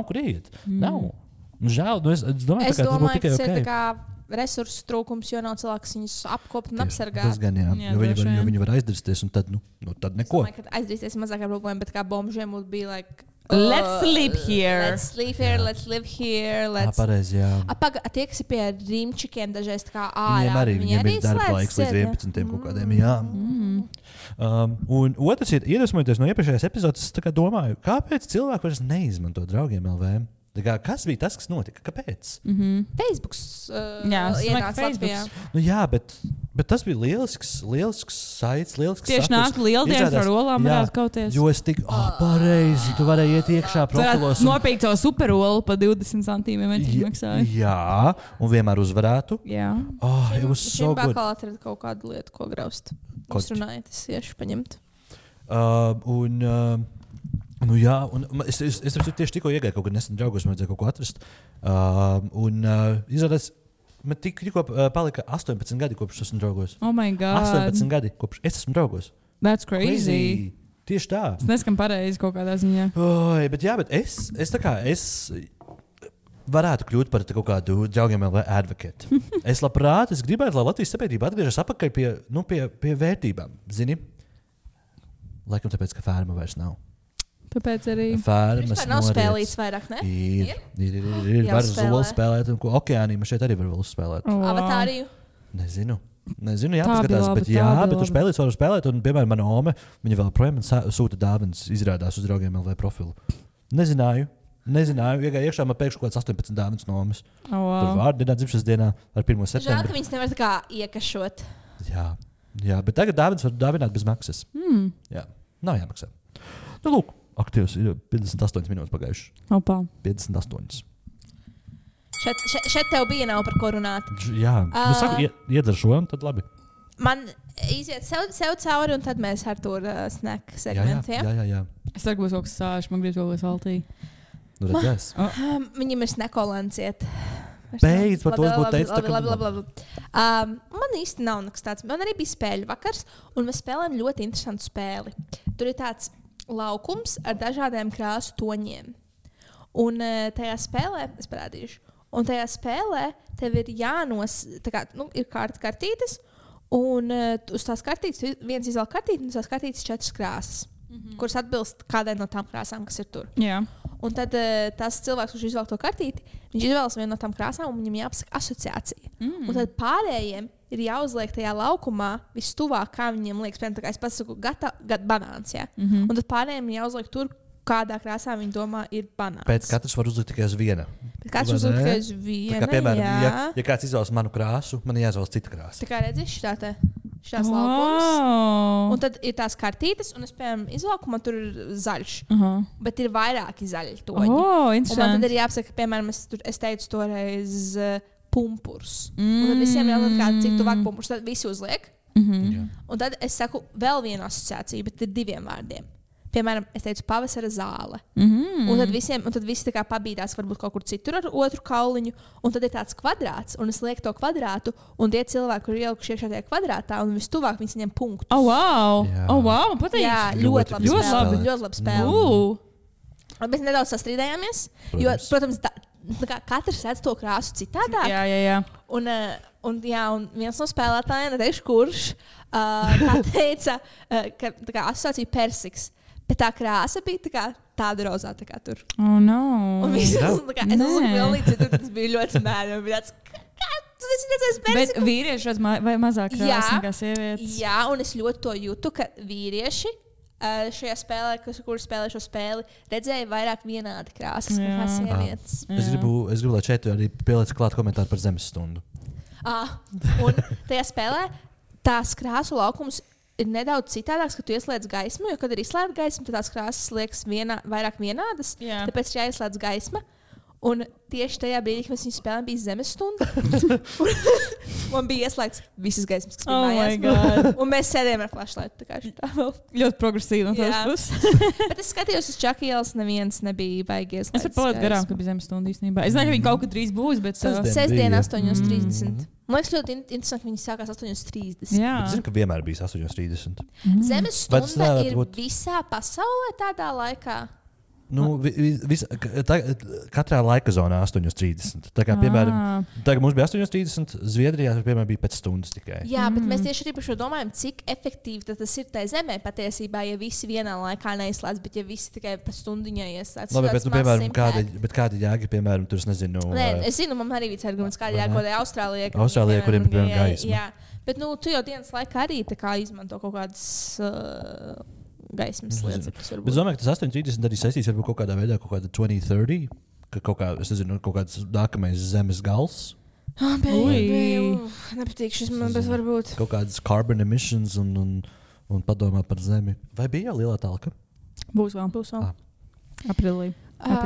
kur iet. Nav. Žēl, es domāju, ka tas būtu tikai tas ir resursu trūkums, jo nav cilvēks viņus apkopt un apsargāt. Tas gan, jā. Jo viņi var aizdirsties, un tad neko. Es domāju, ka aizdirsties ir mazākā problēma, bet kā bombžiem būtu bija let's sleep here. Let's live here. Pareizi, jā. Tie, kas ir pie rīmčikiem dažreiz tā kā Viņiem ir darba laiks līdz 11 kaut kādiem, jā. Un otrs ir, iedvesmojoties no iepriekšējās epizodes, es domāju, kāpēc cilvēki vairs neizmanto draugiem LV? Kas bija tas, kas notika? Kāpēc? Facebooks ienāca Latvijā. Jā, bet tas bija lielisks saits, lielisks tieši saturs. nāk lieldienas ar olām varētu kauties. Jo es tik, pareizi, tu varēji iet iekšā profilos. Nopirkt savu superolu pa 20 centīmiem maksāja. Jā, un vienmēr uzvarētu. Jā. It was so good. Šim bakal atrada kaut kādu lietu, ko graust. Jūs runājat, es iešu paņemt. Jā, un es tieši tikko iegāju kaut kad nesen draugos, man vajadzēja kaut ko atrast. Izrādās, man tikko palika 18 gadi, kopš esmu draugos. Oh my God. 18 gadi, kopš es esmu draugos. That's crazy. Tieši tā. Es neskan pareizi kaut kādā ziņā. Bet es varētu kļūt par kaut kādu draugiem LV advocate. Es gribētu, lai Latvijas sabiedrība atgriežas atpakaļ pie vērtībām. Zini? Laikam tāpēc, ka fērma vairs nav. Tāpēc arī. Vispār nav spēlīts vairāk, ne? Ir. Var zolu spēlēt, un okeānī šeit arī var vēl spēlēt. Avatāriju? Nezinu, jāpaskatās, bet tu var spēlēt, un, piemēram, mana ome, viņa vēl projām sūta dāvanas, izrādās uz draugiem LV profilu. Nezināju, iegāju iekšā, man pēkšņi kaut kāds 18 dāvanas no omes. Tur vārdienā, dzimšanas dienā ar 1. septembri. Žēl, ka viņas nevar tā kā iekašot. Jā, bet tagad dāvanas var dāvināt bez maksas. Jā, nav jāmaksā. Lūk. Aktīvs ir 58 minūtes pagājušas. Opa. 58. Šeit tev bija nav par ko runāt. Jā, saku, iedzer šo, un tad labi. Man iziet sev cauri, un tad mēs ar to snack segmentiem. Jā. Es saku, būs kaut kas sāš, man gribas vēl saltī. Redzēs. Viņam ir snekolants iet. Beidz, par to es būtu teicis. Labi. Man īsti nav nekas tāds. Man arī bija spēļu vakars, un mēs spēlējam ļoti interesantu spēli. Tur ir tāds laukums ar dažādiem krāsu toņiem. Un tajā spēlē, es parādīšu, un tajā spēlē tev ir ir kartītes, un uz tās kartītes viens izvēl kartīti, un uz tās kartītes 4 krāsas, kuras atbilst kādai no tām krāsām, kas ir tur. Jā. Un tad tas cilvēks, kurš izvēl to kartīti, viņš izvēlas vienu no tām krāsām, un viņam jāpasaka asociācija. Un tad pārējiem ir jāuzliek tajā laukumā vistuvāk, kā viņiem liekas. Piemēram, es pats saku, banāns. Ja? Un tad pārējiem ir jāuzliek tur, kādā krāsā viņi domā ir banāns. Pēc katrs var uzlikt tikai uz viena. Katrs uzliek tikai uz viena, tā kā, piemēram, ja kāds izvēlas manu krāsu, man jāizvēlas cita krāsa. Tā kā redzi, šitās laukums. Un tad ir tās kartītes, un es, piemēram, izvēlku, man tur ir zaļš. Bet ir vairāki zaļi toņi. Un man tad ir jāapsaka, piemēram, es teicu toreiz pumpurs. Un tad visiem jāuzliek kādu citu tuvāk pumpurs. Tad visi uzliek. Un tad es saku vēl vienu asociāciju, bet ir 2 vārdiem. Piemēram, es teicu, pavasara zāle. Un tad visi tā kā pabīdās varbūt kaut kur citur ar otru kauliņu. Un tad ir tāds kvadrāts, un es lieku to kvadrātu, un tie cilvēki, kur ir ielikuši iekšā tajā kvadrātā, un vistuvāk viņi saņem punktus. Wow! Man patīk! Jā, ļoti labi spēle. Mēs nedaudz sastrīdējāmies, jo, protams, katrs redz to krāsu citādāk. Jā. Un viens no spēlētājiem, neteikšu kurš, teica, ka asociācija persiks. Bet tā krāsa bija tāda rozā, tā kā tur. Oh, no. Un es uzliku pilnīgi, tas bija ļoti mērķi. Man bija tāds, kā tu esi redzējis persiku? Bet vīrieši redz vai mazāk krāsa nekā sievietes? Jā, un es ļoti to jūtu, ka vīrieši šajā spēlē, kur spēlē šo spēli, redzēja vairāk vienādi krāsas nekā sievietes. Es gribu, lai šeit arī pieliec klāt komentāru par zemes stundu. Un tajā spēlē tās krāsu laukums ir nedaudz citādāks, ka tu ieslēdz gaismu, jo, kad ir izslēgta gaisma, tad tās krāsas liekas vairāk vienādas. Jā. Tāpēc ir jāieslēdz gaisma. Un tieši tajā brīdī, kad mēs viņu spēlējām, bija zemes stunda. Man bija ieslēgts visas gaismas, kas bija mājās. Un mēs sēdējām ar flashlightu. Ļoti progresīvi no tās puses. Bet es skatījos uz Čaka ielas, neviens nebija baigi ieslēgts. Es varu palaist garām, ka bija zemes stunda īstenībā. Es nezinu, ka viņi kaut kad drīz būs, bet... Sestdien 8:30. Man liekas, ļoti interesanti, ka viņi sākās 8:30. Jā. Es zinu, ka vienmēr bijis 8:30. Zemes stunda ir visā pasaulē tādā laikā. Katrā laika zonā 8:30. Tā kā, piemēram, tagad mums bija 8:30, Zviedrijā piemēram, bija pēc stundas tikai. Jā, bet mēs tieši arī par šo domājam, cik efektīvi tas ir tajā zemē patiesībā, ja visi vienā laikā neizslēdz, bet ja visi tikai pēc stundiņā ieslēdz. Labi, bet, piemēram, kāda jēga, piemēram, tur es nezinu. Nē, es zinu, man arī bija arguments, kāda jēga, kodai Austrālijai. Austrālijai, kuriem ir piemēram gaisma. Jā, bet tu jau dienas laikā arī tā kā izmanto kaut kādas... gaismas lietas. Bet es domāju, ka tas 8:30 arī saistīs ar kaut kādā veidā, kaut kāda 2030, ka kaut kā, es nezinu, kaut kāds nākamais zemes gals. Nepatīk šis man, bet varbūt. Kaut kādas carbon emissions un padomāt par zemi. Vai bija lielā talka? Būs vēl. Aprilī.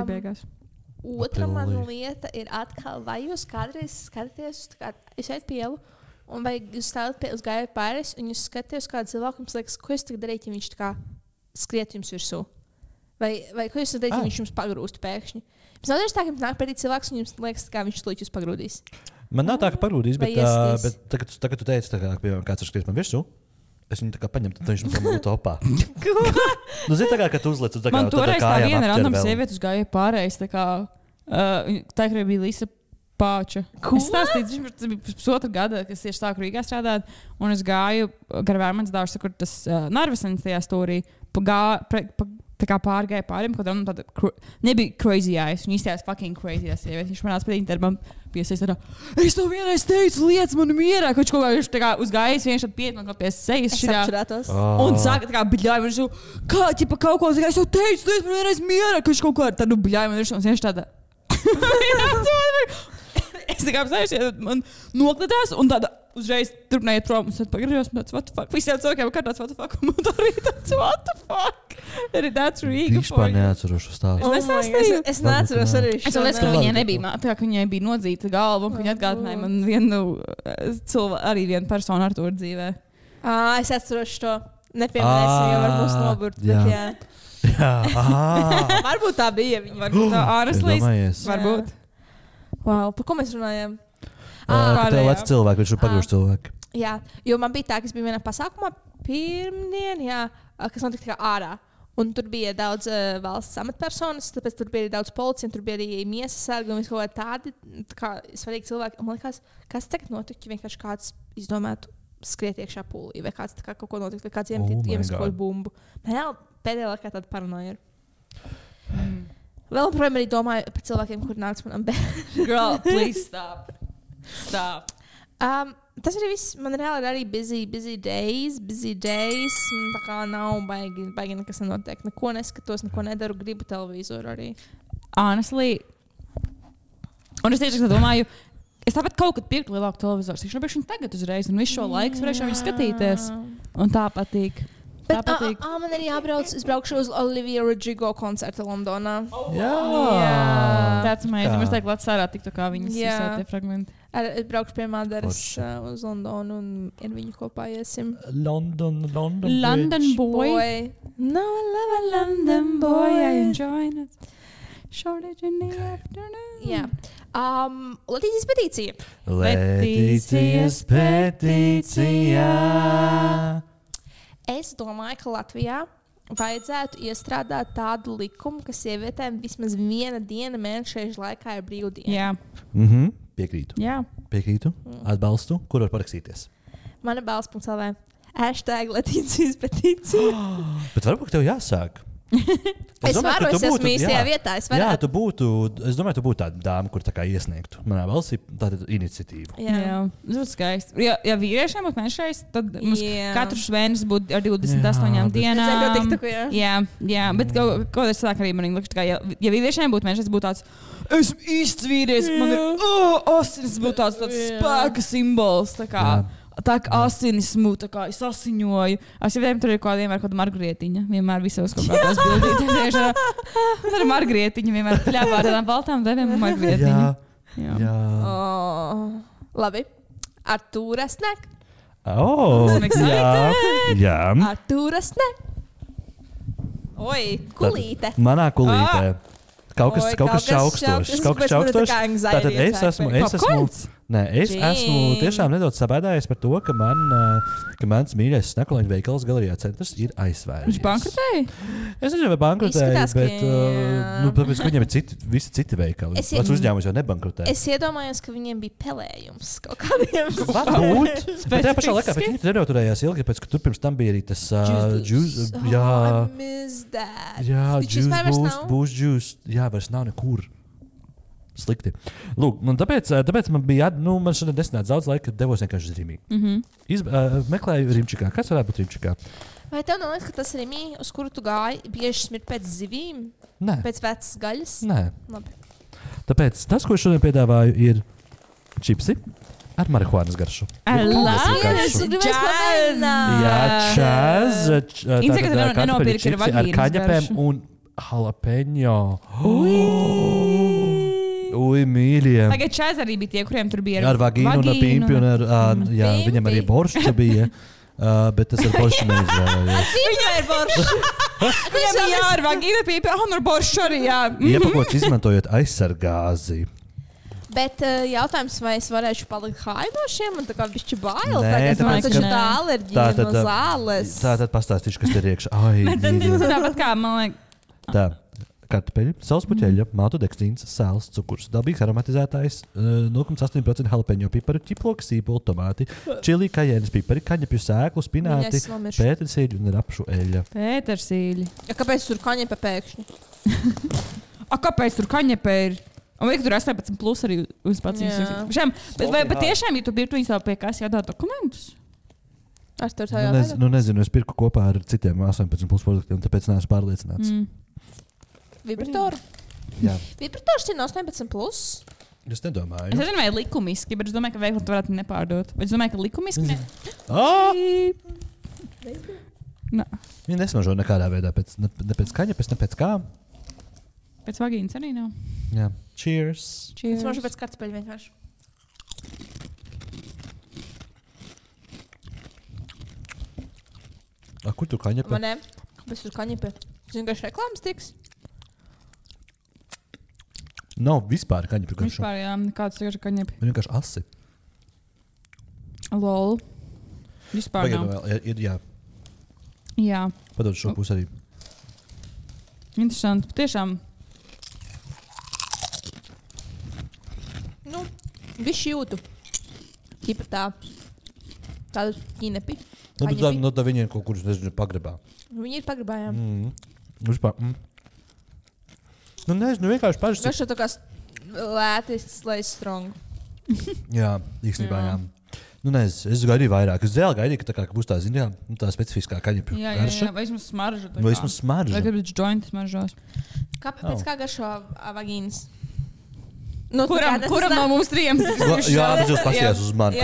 Beigās. Otra man lieta ir atkal, vai jūs kādreiz skatāties, es eit pielu, un vai jūs stāvat uz gāju pāris, un jūs skatāties kādu cilvēku, jums liekas, ko jūs tagad darīt, ja viņš tā kā skriet jums virsū? Vai ko jūs darīt, ja viņš jums pagrūst pēkšņi? Jums nav tā, ka jums nāk pretī cilvēks, un jums liekas, kā viņš slīd jūs pagrūdīs? Man nav tā, ka pagrūdīs, bet tagad tu teici, kā, piemēram, kāds ir skriet man virsū, es viņu tā kā paņemtu, tad viņš man būtu topā. Zini, tā kā, kad tu uzliec uz tā kā man toreiz tā viena random sieviete uz gāju pārējais, tā kā, tā kā bija Lisa Pāča. Ko? Es stāstīju, tas bija pusotra gada, kas tieši sāku Rīgā strādāt, un es gāju gar Vērmaņas dārstu, kur tas Narvesens tajā stūrī, tā kā pārgāja pāriem, kaut kādam tāda, nebija crazy eyes, viņa izstājās fucking crazy eyes, viņš man nāca pēc intervām piesais tādā, es tev vienreiz teicu, liec mani mierā, kaut kā viņš tā kā uz gājas, viņš tad piet man pie sejas šitā, un sāka tā kā bļāja man virsū, kā, ķipa kaut ko, es tev teicu, liec man vienreiz mierā, ka viņš kaut ko ar tādu bļāja man virsū, un viņš tāda, es tā kā apstājušies, man noklatās, un tāda uzreiz turpinājiet prom, un tad pagriežos, un tāds, what the fuck? Visiem cilvēkiem kā tāds, what the fuck? Un man arī tāds, what the fuck? Arī that's Riga. Vispār neatceros šo stāstu. Es neatceros arī šo. Es liekas, ka viņai nebija, tā kā viņai bija nodzīta galva, un viņa atgādināja man arī vienu personu ar to dzīvē. Es atceros šo. Nepieminēsim, jo var mūs noburt, bet jā. Jā, varbūt tā bija viņa. Varbūt tā āreslīs. Varbūt. Wow, par ko mēs runājam? Ka tev lec cilvēki, viņš ir pagrūž cilvēki. Jā, jo man bija tā, ka es biju vienā pasākumā pirmdien, kas notika kā ārā. Un tur bija daudz valsts amatpersonas, tāpēc tur bija daudz policija, tur bija arī miesas sargi un kaut kādi svarīgi cilvēki. Un man liekas, kas tagad notika, ja vienkārši kāds izdomētu skriet iekšā pūlī, vai kāds kaut ko notikt, vai kāds iemet kaut kādu bumbu. Man pēdējā laikā tāda paranoja ir. Vēl projām arī domāju par cilvēkiem, kuri nāc manam bērnam. Girl, please stop. Stop. Tas arī viss. Man reāli ir arī busy days. Tā kā nav baigi nekas nenotiek. Neko neskatos, neko nedaru. Gribu televizoru arī. Honestly. Un es tieši domāju, es tāpat kaut kad pirktu lielāku televizoru. Es gribēju viņu tagad uzreiz un visu šo laiku varēšu viņu skatīties. Un tā patīk. Man arī jābrauc. Es braukšu uz Olivia Rodrigo koncertu Londonā. Jā. Tāds amazing. Es teiktu, Latvijas ārā tiktu kā viņas visā tie fragmenti. Es braukšu pie Madaras uz Londonu un ar viņu kopā iesim. London boy. No, I love a London boy. I enjoy it. Shortage in the afternoon. Jā. Latīcijas petīcija. Latīcijas petīcija. Es domāju, ka Latvijā vajadzētu iestrādāt tādu likumu, ka sievietēm vismaz viena diena mēneša laikā ir brīvdiena. Jā. Piekrītu. Jā. Piekrītu. Atbalstu. Kur var parakstīties? Mana balss.lv. #Latīcijas petīcija. Bet varbūt tev jāsāk. Es esmu īstajā vietā. Jā, tu būtu tāda dāma, kur tā kā iesniegtu manā valstī tādu iniciatīvu. Jā. Tas būtu skaisti. Ja vīriešiem būtu mēnešais, tad mums katrs mēnesis būtu ar 28 dienām. Jā, bet kaut es sāku arī man liekas, ka ja vīriešiem būtu mēnešais, būtu tāds, esmu īsts vīrietis, man ir asinis, būtu tāds spēka simbols. Tā kā asinismu, tā kā es asiņoju. Es jau tur ir vienmēr kāda margrietiņa. Vienmēr visos kaut kādās bildītēs. Tur ir margrietiņa vienmēr pļāvā ar tādām baltām deviem un margrietiņa. Jā. Labi. Artūra Snek. Jā. Artūra Snek. Oi, kulīte. Manā kulītē. Kaut kas čaukstošs. Tātad es esmu tiešām nedaudz sabēdājies par to, ka mans mīļais Snekoliņu veikals Galerijā centrs ir aizvērts. Viņš bankrotēja? Es nezinu, vai bankrotēja, bet tāpēc, ka viņiem ir visi citi veikali. Pats uzņēmums jau nebankrotēja. Es iedomājos, ka viņiem bija pelējums kaut kādiem. Varbūt. Bet tajā pašā laikā viņi nenoturējās ilgi, pēc, ka tur pirms tam bija arī tas juice. I miss that. Jā, boost juice. Jā, vairs nav nekur. Slikti. Lūk, tāpēc man bija man šodien nesanāca daudz laika, kad devos vienkārši uz Rīmī. Meklēju Rimčikā. Kas varētu būt Rimčikā? Vai tev neliekas, ka tas Rīmī, uz kuru tu gāji, bieži smirt pēc zivīm? Nē. Pēc vecas gaļas? Nē. Labi. Tāpēc tas, ko es šodien piedāvāju, ir čipsi ar marihuānas garšu. Jā, čaz. Ar kaņepēm un jalapeņo. Ui, mīļie. Tagad čaz arī bija tie, kuriem tur bija ar vagīnu un pimpi. Jā, viņam arī boršs bija. Bet tas ar boršu neizvēlējos. Viņam ir boršs. Viņam bija ar vagīnu, pimpi un ar boršu arī, jā. Iepakots izmantojot aizsargāzi. Bet jautājums, vai es varēšu palikt high no šiem? Man tā kā bišķi bail. Nē, man taču tā alerģija no zāles. Tātad pastāstīšu, kas ir iekšā. Tāpat kā, man liekas. Tā. Kartupeļi, sāls puķeļa, mātu dekstīns, sāls, cukurs, dabīgs aromatizētājs, 0,8% jalapeņo piparu, ķiploka, sīpoli, tomāti, čili, kajēnas pipari, kaņepju sēklu, spināti, pētersīļu un rapšu eļļa. Pētersīļi. Kāpēc tur kaņepe pēkšņi? Kāpēc tur kaņepe ir? Un vai tur 18 plus arī uz pacīs? Vai patiešām, ja tu birtu viņus pie kas jādod dokumentus? Nezinu, es pirku kopā ar citiem 18 plus produktiem, tāpēc neesmu pārliecināts. Vibratoru? Jā. Vibrators ir 18 plus? Es nedomāju. Es nezinu, vai likumiski, bet es domāju, ka veikli tu varētu nepārdot. Bet es domāju, ka likumiski ne. Viņi nesmažo nekādā veidā, ne pēc kaņepes, ne pēc kā. Pēc vagīnas arī nav. Jā. Cheers. Es mažu pēc kartupeļu vienkārši. Kur tu kaņepe? Man ne. Kāpēc tu kaņepe? Es vienkārši reklāmas tiks. Nav vispār kaņepju garšu. Vispār, jā, nekāds vienkārši kaņepju. Viņa vienkārši asi. Lol. Vispār nav. Ir, jā. Jā. Padod šo pusi arī. Interesanti. Patiešām. Nu, viss jūtu. Ķipa tādu ķinepi. Nu, tā viņiem kaut kur, nezinu, pagrabā. Viņi ir pagrabājām. Vispār. Nu, nezinu, vienkārši paši. Viņš ir tā kā lētis, slēdz strong. Jā, īstenībā, jā. Nu, nezinu, es gaidīju vairāk. Es vēl gaidīju, ka būs tā, zini, tā specifiskā kaņepju garša. Jā, vai vismaz smarža. Vai vismaz smarža. Vai gribat jointi smaržos. Pēc kā garšo vagīnas? Nu, kuram no mums trijiem? Jā, bet jūs paskatījās uz mani.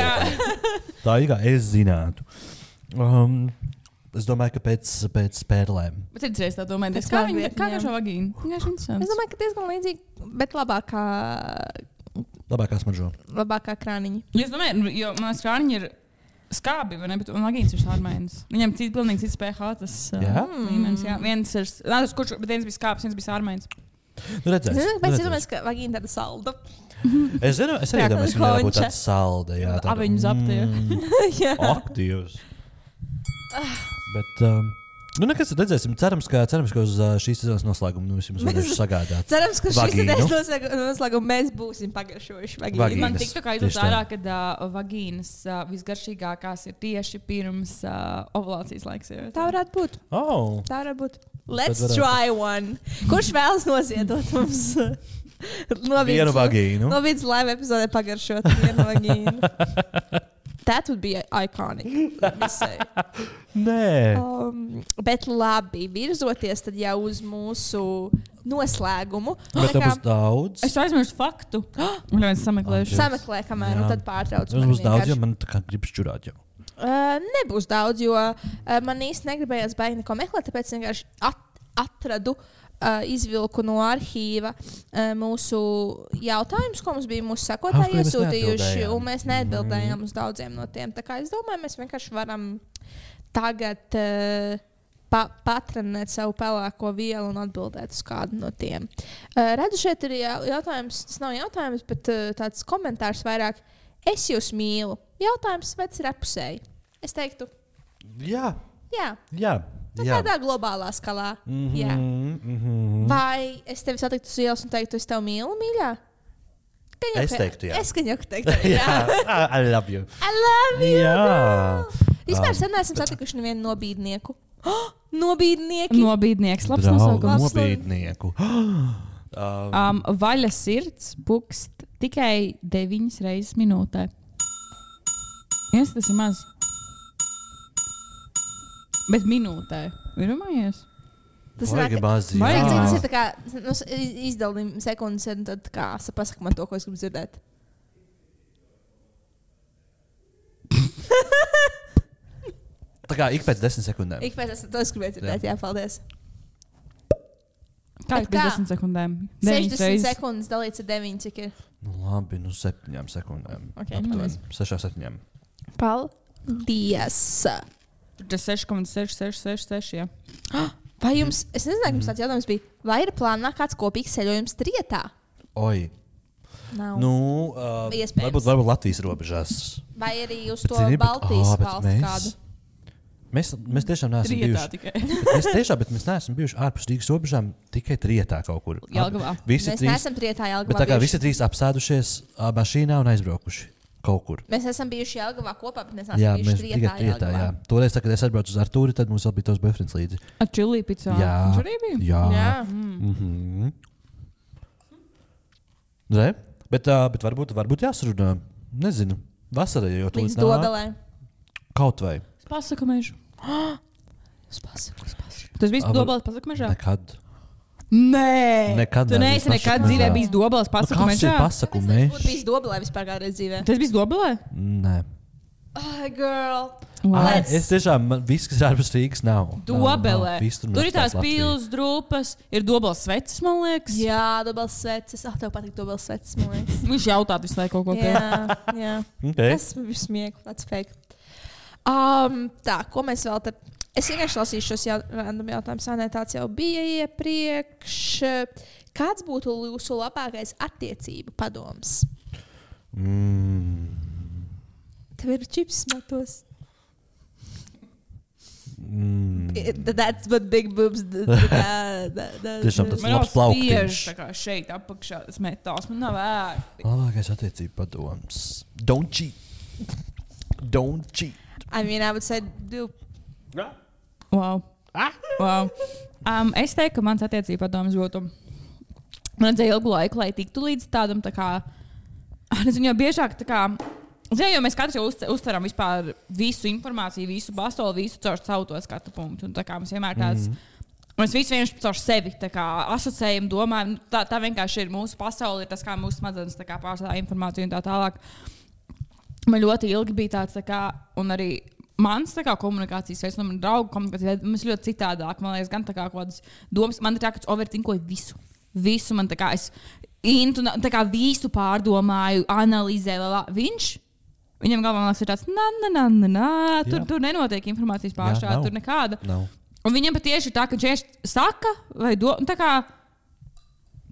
Tā ir kā es zinātu. Es domāju, ka pēc spērlēm. Bet redzēs tā domāju, kā garšo vagīnu? Es domāju, ka diezgan līdzīgi, bet labākā smaržo. Labākā krāniņa. Es domāju, jo manas krāniņi ir skābi, vai ne? Bet vagīns ir sārmainis. Viņam pilnīgi cits pH tas līmenis. Jā, viens ir, bet viens bija skābs, viens bija sārmainis. Nu, redzēs. Pēc iedomājas, ka vagīna tāda salda. Es arī domāju, ka viņa būtu tāda salda. Jā, tāda. Aviņu zaptie. Aktīvs. Bet, nu, nekas redzēsim. Cerams, ka uz šīs sezonas noslēgumu mums varēs sagādāt. Cerams, ka šīs sezonas noslēgumu mēs būsim pagaršojuši vagīnu. Man tiktu kā izlūdz ārā, kad vagīnas visgaršīgākās ir tieši pirms ovulācijas laiks. Tā varētu būt. Tā varētu būt. Let's try one. Kurš vēlas noziedot mums vienu vagīnu? No vidas laiva epizodē pagaršot vienu vagīnu. That would be iconic, let me say. Nē. Bet labi, virzoties tad jau uz mūsu noslēgumu. Bet tā būs daudz. Es aizmirstu faktu. Un viens sameklēšu. Sameklē, kamēr, un tad pārtrauc. Tas būs daudz, jo man tā kā grib šķurāt jau. Nebūs daudz, jo man īsti negribējās baigi neko meklēt, tāpēc vienkārši atradu, izvilku no arhīva mūsu jautājumus, ko mums bija mūsu sekotāji iesūtījuši, un mēs neatbildējām uz daudziem no tiem. Tā kā es domāju, mēs vienkārši varam tagad patrenēt savu pelēko vielu un atbildēt uz kādu no tiem. Redzu, šeit ir jautājums, tas nav jautājums, bet tāds komentārs vairāk. Es jūs mīlu. Jautājums, vai tas ir apusēji? Es teiktu, jā. Tādā globālā skalā. Jā. Vai es tevi satiktu uz ielas un teiktu, es tevi mīlu, mīļā? Es teiktu, jā. Es skaņoku teiktu, jā. I love you. I love you. Jā. Vispār sen neesam satikuši nevienu nobīdnieku. Nobīdnieki. Nobīdnieks, labs nosaukums. Nobīdnieku. Vaļa sirds pukst tikai 9 reizes minūtē. Tas ir maz. Bet minūtē. Virumājies? Tas ir maz. Tas ir tā kā izdalījumi sekundes, un tad pasaka man to, ko es gribu dzirdēt. Tā kā ik pēc 10 sekundēm. Ik pēc 10 gribēju dzirdēt, jā, paldies. Kā pēc 10 sekundēm? 60 sekundes dalīts ar 9, cik ir? Nu labi, 7 sekundēm. Okay, 6-7. Paldies! Tas 6,6666, jā. Vai jums, es nezinu, ka jums tāds jautājums bija, vai ir plānā kāds kopīgs ceļojums trietā? Oi. Nav. Nu, Iespējams. varbūt Latvijas robežās. Vai arī uz to Baltijas valsti kādu? Mēs tiešām neesam bijuši. Mēs neesam bijuši ārpus Rīgas robežām, tikai trietā kaut kur. Jelgavā. Mēs neesam trietā Jelgavā. Bet tā kā visi trīs apsēdušies mašīnā un aizbraukuši kaut kur. Mēs esam bijuši Jelgavā kopā, bet mēs neesam bijuši trietā Jelgavā. Jā. Toreiz, kad es atbraucu uz Artūri, tad mums vēl bija tos boyfriends līdzi. Ar čilī picā? Jā. Viņš arī bija? Jā. Re? Bet varbūt jāsarunā. Nezinu. Vasarā jau līdz Dobelē. Kaut vai. Pasakamežu. Pasaku. Tas bija Dobeles pasakamežā? Nekad. Nē. Nekad. Tu neesi nekad dzīvē bijis Dobeles pasakamežā? Pasakamežs. Tas bijis Dobelē vispār kādreiz dzīvē. Tas bijis Dobelē? Nē. Girl. Es tiešām, viss, kas ir ārpus Rīgas, nav. Dobelē. Tur ir tās pils, drupas, ir Dobeles sveces, man liekas. Jā, Dobeles sveces. Tev patīk Dobeles sveces, man liekas. Viņš jautāt visu laiku kaut ko jā. Okay. Tas bija smieklīgi, tāds fake. Tā, ko mēs vēl te Es vienkārši lasīšu šos random jautājumus. Nē, tāds jau bija iepriekš. Kāds būtu jūsu labākais attiecību padoms? Tev ir čips matos. That's what big boobs do. Tiešām tas labs plauktiņš. Tā kā šeit apakšā tas metāls. Man nav vērti. Labākais attiecību padoms. Don't cheat. Don't cheat. I mean, I would say do. Wow. Wow. Es teiktu, ka mans attiecību padoms būtu. Man vajadzēja ilgu laiku, lai tiktu līdz tādam, tā kā, nezinu, jau biežāk, tā kā, jo mēs katrs jau uztveram vispār visu informāciju, visu pasauli, visu caur savu to skatu punktu. Un tā kā mums vienmēr tāds, mēs visi vienkārši caur sevi tā kā asociējam, domājam, tā vienkārši ir mūsu pasauli, ir tas, kā mūsu smadzenes tā kā pārstādā informāciju un tā tālāk. Man ļoti ilgi bija tāds, tā kā, un arī mans tā kā komunikācijas veids, un man draugu komunikācijas veids, mums ļoti citādāk, man liekas, gan tā kā kādas domas, man ir tā, ka es overthinkoju visu. Visu man tā kā es tā kā visu pārdomāju, analizēju, viņam galvā liekas, ir tāds, tur nenotiek informācijas pārstrāde, tur nekāda. No. Un viņam patieši ir tā, ka viņš saka, vai tā kā,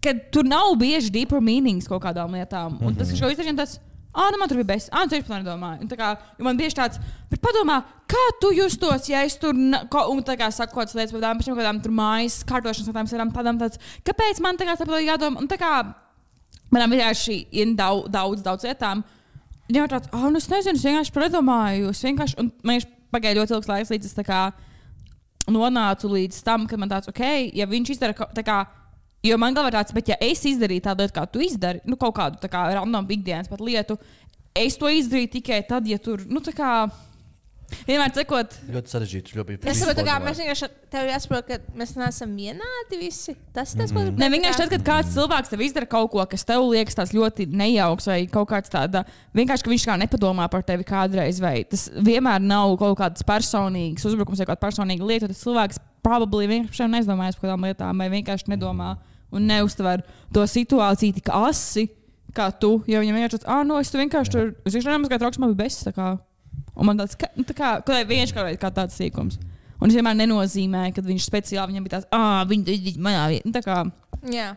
ka tur nav bieži deeper meanings kaut kādām lietām. Un tas, ka šo izdarījām tāds, man tur bija beigas, tu vispār nedomāji. Un tā kā, man bieži tāds, bet padomā, kā tu justos, ja es tur, un tā kā saku kaut kādas lietas, bet pēc kādām tur mājas kārtošanas tādām tāds, kāpēc man tā kā tāpat jādomā, un tā kā, manām vienkārši ir daudz lietām. Viņam ir tāds, es nezinu, es vienkārši predomāju, un man pagāja ļoti ilgs laiks, līdz es tā kā nonācu līdz tam, ka man tāds, ja viņš izdara tā kā, jo man galvā tāds, bet ja es izdarīju tādu lietu, kā tu izdari, kaut kādu tā kā random ikdienas pat lietu, es to izdarīju tikai tad, ja tur, tā kā, vienmēr cekot. Ļoti sarežģīts, ļoti bija. Es saprotu, kā mēs vienkārši tev jāsaprot, ka mēs neesam vienādi visi. Tas ko gribu. Ne, vienkārši tad, kad kāds cilvēks tev izdara kaut ko, kas tev liekas tāds ļoti nejauks vai kaut kāds tāda, vienkārši, ka viņš kā nepadomā par tevi kādreiz, vai tas vienmēr nav kaut kāds personīgs uzbrukums vai kāda personīga lieta, tas cilvēks probably vienkārši neizdomājas par kādām lietām vai vienkārši nedomā un neuztver to situāciju tik asi, kā tu, jo viņam vienkārši tāds, es tu vienkārši tur, es vienkārši nemazgāju trauks, man bija bes, tā kā. Un man tāds, vienkārši kā tāds sīkums. Un es vienmēr nenozīmēju, kad viņš speciāli viņam bija tāds, viņi manā vietā. Tā kā. Jā.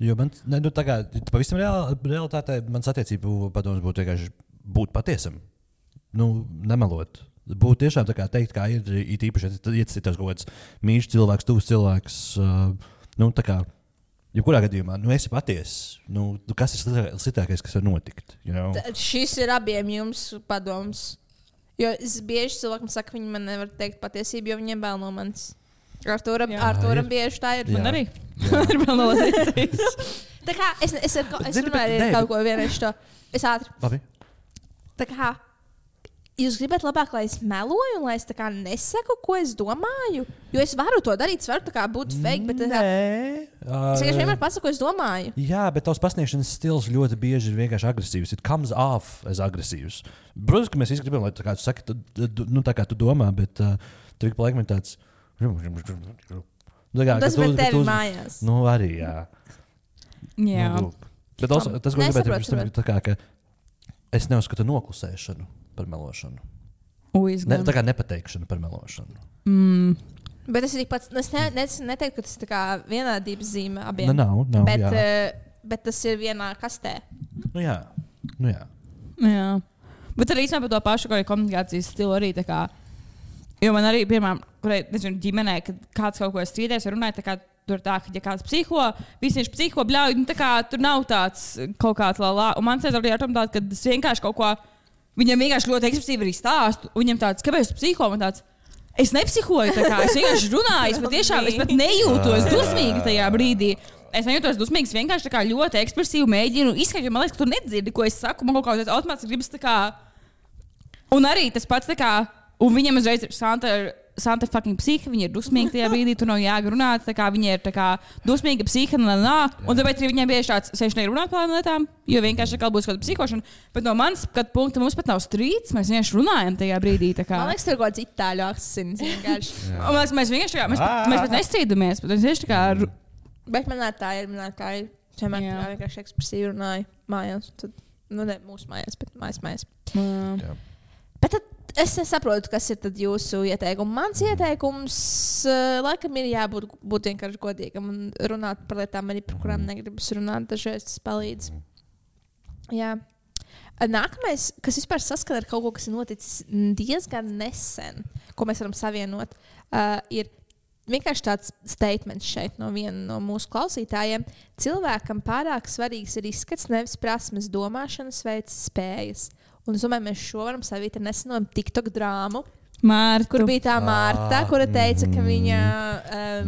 Jo man, tā kā, pavisam realitātē, mans attiecību padoms būtu vienkārši būt patiesam. Nemelot. Būtu tiešām tā kā teikt, kā ir īpaši, ja tas ir kaut kāds mīļš cilvēks, tuvs cilvēks, tā kā, jebkurā gadījumā, esi patiess. Kas ir sliktākais, kas var notikt? Šis ir abiem jums padoms. Jo es bieži cilvēkam saku, ka viņi man nevar teikt patiesību, jo viņiem bail no manis. Arturam bieži tā ir. Man arī. Ir bail no manis. Tā kā es runāju ar kaut ko vienreiz to. Es ātri. Labi. Tā kā jūs gribat labāk, lai es meloju un lai es tā kā nesaku, ko es domāju? Jo es varu to darīt, es varu tā kā būt fake, bet es vienmēr pasaku, ko es domāju. Jā, bet tavs pasniegšanas stils ļoti bieži ir vienkārši agresīvs. It comes off as agresīvs. Protams, ka mēs visi gribam, lai tā kā tu saki, tā kā tu domā, bet tur ik pa laikam ir tāds. Tas ir tevi mājās. Arī, jā. Jā. Bet tas, ko gribētu, ir tā kā, ka es neuzskatu noklusēšanu par melošanu. Tā kā nepateikšana par melošanu. Bet tas ir tikpat, es neteiktu, ka tas ir tā kā vienādības zīme abiem. Nav, bet tas ir vienā kastē. Jā. Bet arī īstenībā par to pašu komunikācijas stilu arī tā kā, jo man arī, piemēram, nezinu, ģimenē, kad kāds kaut ko strīdēs vai runāja, tā kā tur tā, ka ja kāds psiho, visi viņš psiho bļauj, tā kā tur nav tāds kaut kāds lā. Un man sēdz arī ar tom tādu, ka es vienkārši kaut ko, viņam vienkārši ļoti ekspresīvi arī stāstu, un viņam tāds, kāpēc tu psiho, man tāds, es nepsihoju, tā kā es vienkārši runāju, es pat nejūtos dusmīgi tajā brīdī. Es nejūtos dusmīgi, es vienkārši tā kā ļoti ekspresīvi mēģinu izskaidrot, jo man liekas, ka tu nedzirdi, ko es saku, man kaut kāds automātiski gribas tā kā. Un arī tas pats tā kā, un viņam uzreiz ir Santa fucking psiha, viņa ir dusmīga tajā brīdī, tur nav jāgrunāt, tā kā viņa ir tā kā dusmīga psiha, un tāpēc arī viņai bieži tāds sēž nerunāt par lietām, jo vienkārši kā būs kāda psikošana, bet no manas skatu punkta mums pat nav strīds, mēs vienkārši runājam tajā brīdī, tā kā. Man liekas, tur kaut kāds itāļu akcents vienkārši. Un mēs vienkārši tā kā, mēs pat nestrīdamies, bet mēs vienkārši tā kā. Bet man tā ir. Vienmēr vienkārši ekspresīvi runāju mājās, tad, mūsu mājās, bet mājās. Bet tad Es nesaprotu, kas ir tad jūsu ieteikums. Mans ieteikums laikam ir jābūt vienkārši godīgam un runāt par lietām, arī par kurām negribas runāt. Dažreiz tas palīdz. Jā. Nākamais, kas vispār saskana ar kaut ko, kas ir noticis diezgan nesen, ko mēs varam savienot, ir vienkārši tāds statements šeit no viena no mūsu klausītājiem. Cilvēkam pārāk svarīgs ir izskats, nevis prasmes, domāšanas veids, spējas. Un es domāju, mēs šo varam savīt ar neseno TikTok drāmu, kur bija tā Marta, kura teica, ka viņa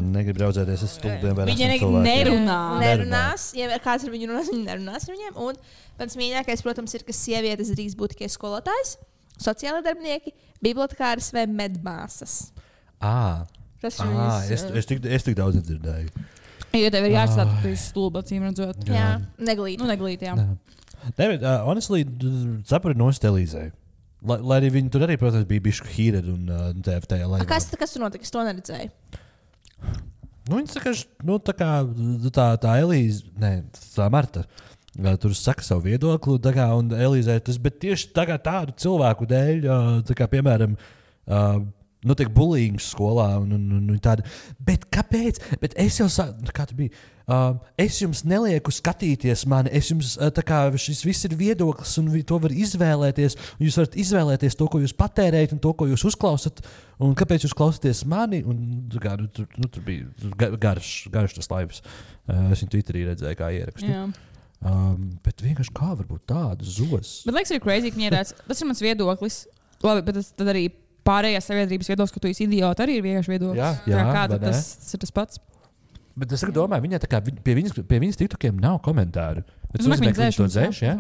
negrib draudzēties ar stulbiem. Viņa nerunās. Ja kāds ar viņu runās, viņa nerunās ar viņiem. Un pats mīļākais, protams, ir, ka sievietes drīkst būt tikai skolotājs, sociālai darbinieki, bibliotekāras vai medmāsas. Es tik daudz nedzirdēju. Jo tev ir jāatstāt, ka tu esi stulba, acīm redzot. Jā, neglīt. Neglīt, jā. David, honestly, sapratu no Elīzei. Lai arī viņi tur arī, protams, bija bišķi hīredi un tajā laivā. Kas tur notika? Es to neredzēju. Viņi saka, tā Elīze, tā Marta, tur saka savu viedokli, un Elīzei tas, bet tieši tādu cilvēku dēļ, piemēram, notiek bullying skolā un tāda. Bet kāpēc? Bet es jau kā tu biji? Es jums nelieku skatīties mani, šis viss ir viedoklis un to var izvēlēties. Jūs varat izvēlēties to, ko jūs patērējat un to, ko jūs uzklausat. Un kāpēc jūs klausāties mani? Un, tur bija garš tas laivs. Es viņu Twitterī redzēju, kā ierakstu. Bet vienkārši kā var būt tāda zos? Bet liekas, ir crazy, ka tas ir mans viedoklis. Labi, bet tad arī pārējās sabiedrības viedoklis, ka tu esi idioti, arī ir vienkārši viedoklis. Jā, tas ir tas pats. Bet es domāju, viņa pie viņas TikTokiem nav komentāru. Bet es nozīmē, ka viņi to dzēš, jā?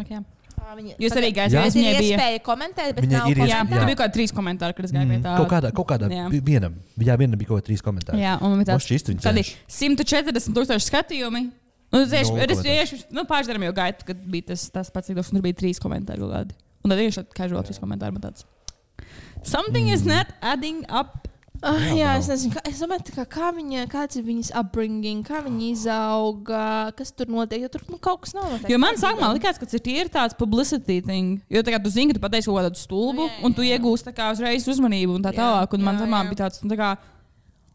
Jūs arī gājāt, viņai bija iespēja komentēt, bet nav komentāru. Jā, tur bija kaut kādi 3 komentāri, kad es gāju pie tā. Kaut kādā vienam bija kaut 3 komentāri. Jā, un tādi 140,000 skatījumi. Pāris darām jau gaitu, kad bija tas pats cikdos, un tur bija 3 komentāri kaut kādi. Un tad vienkārši casual 3 komentāri man tāds. Something is not adding up. Jā, es nezinu, es domāju, kāds ir viņas upbringing, kā viņa izauga, kas tur notiek, jo tur kaut kas nav notiek. Jo man sākumā likās, ka tas ir tāds publicity thing, jo kā tu zini, ka tu pateici kaut kādu stulbu, un tu iegūsti uzreiz uzmanību un tā tālāk, un man samā bija tāds,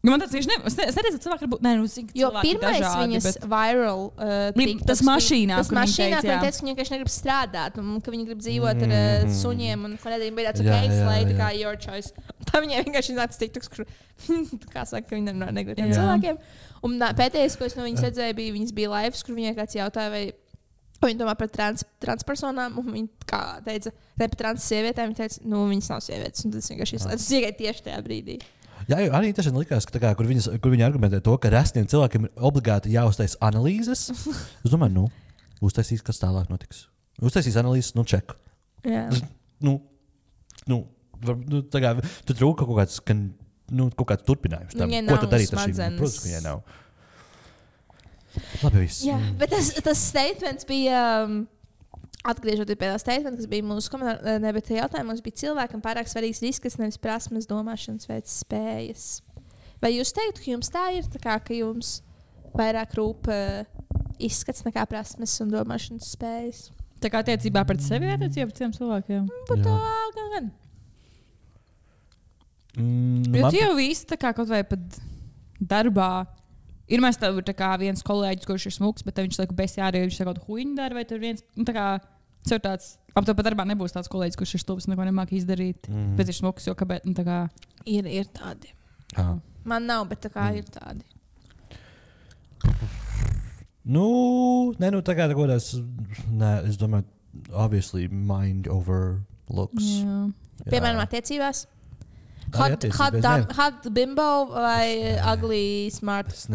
man tāds tieši es neredzu, ka cilvēki var būt, jo pirmais dažādi, viņas viral tas mašīnā, ka viņa teica, ka viņa vienkārši negrib strādāt, un ka viņa grib dzīvot ar suņiem, un nedēļ bija tāds slate, kā your choice. Tā viņai vienkārši nāca TikToks, kur, kā saka, ka viņa negrib tiem cilvēkiem. Un pēdējais, ko es no viņas redzēju, viņas bija lives, kur viņai kāds jautāja, vai viņa domā par transpersonām, un viņa kā teica, ne par trans sievietēm, viņa teica, viņas nav sievietes, un tas vienkārši izslēdz. Tas tikai tieši tajā brīdī. Jā, arī tas likās, ka kur viņi argumentē to, ka resniem cilvēkiem ir obligāti jāuztais analīzes. Es domāju, uztaisīs, kas tālāk notiks. Uztaisīs analīzes, ček. Jā. Tu trūka kaut kāds turpinājums tam. Ko tad darīt ar šīm? Protams, ka viņai nav. Labi, viss. Jā, bet tas statements bija... Atgriežoties pie tā statementa, kas bija mūsu komentārā, bet jautājumos bija cilvēkam pārāk svarīgs izskats, nevis prasmes, domāšanas veids, spējas. Vai jūs teiktu, ka jums tā ir, ka jums vairāk rūp izskats nekā prasmes un domāšanas spējas? Tā kā attiecībā pret sevi vai attiecībā pret citiem cilvēkiem? Par to gan. Jo tu jau visi kaut vai pat darbā. Ir mēs tev viens kolēģis, kurš ir smuks, bet viņš saka, besi arī viņš kaut huīņu dara, vai tur viens, sev tāds, ap to pat darbā nebūs tāds kolēģis, kurš ir stulbs, neko nemāk izdarīt, bet ir smuks, jo kāpēc, Ir tādi. Man nav, bet ir tādi. Es domāju, obviously mind over looks. Piemēram, attiecībās. Hot bimbo vai ugly smart? Es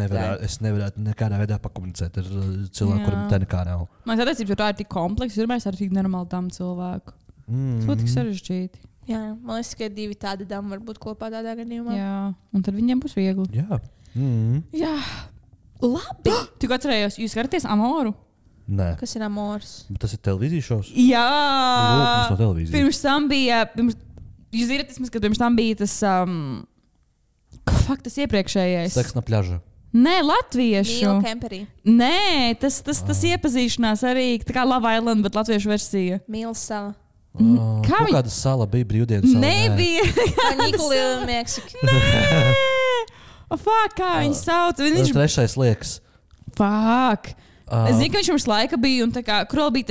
nevarētu nekādā veidā pakomunicēt ar cilvēku, kuram tā nekā nav. Man attiecības, jo tā ir tik kompleksa, ir mēs ar tik nenormāli tam cilvēku. Tas būtu tik sarežģīti. Jā, man liekas, ka 2 tādi dami var būt kopā tādā gadījumā. Jā, un tad viņiem būs viegli. Jā. Jā. Labi. Tu atcerējos, jūs skatāties Amoru? Nē. Kas ir Amors? Tas ir televīzijas šovs? Jā. Lūk, no televīzijas. Pirms tam bija... Jūs zināt, ka pirms tam bija tas, tas iepriekšējais. Seks na pļaža. Nē, latviešu. Mīlu kemperī. Nē, tas iepazīšanās arī, tā kā Love Island, bet latviešu versija. Mīlu sala. Kā kāda sala bija brīvdienas sala? Nebija. Nikolija Meksika. Fuck, kā viņi sauc? Viņš... Trešais liekas. Fuck. Es zinu, ka viņš mums laika bija, un tā kā, kur vēl bija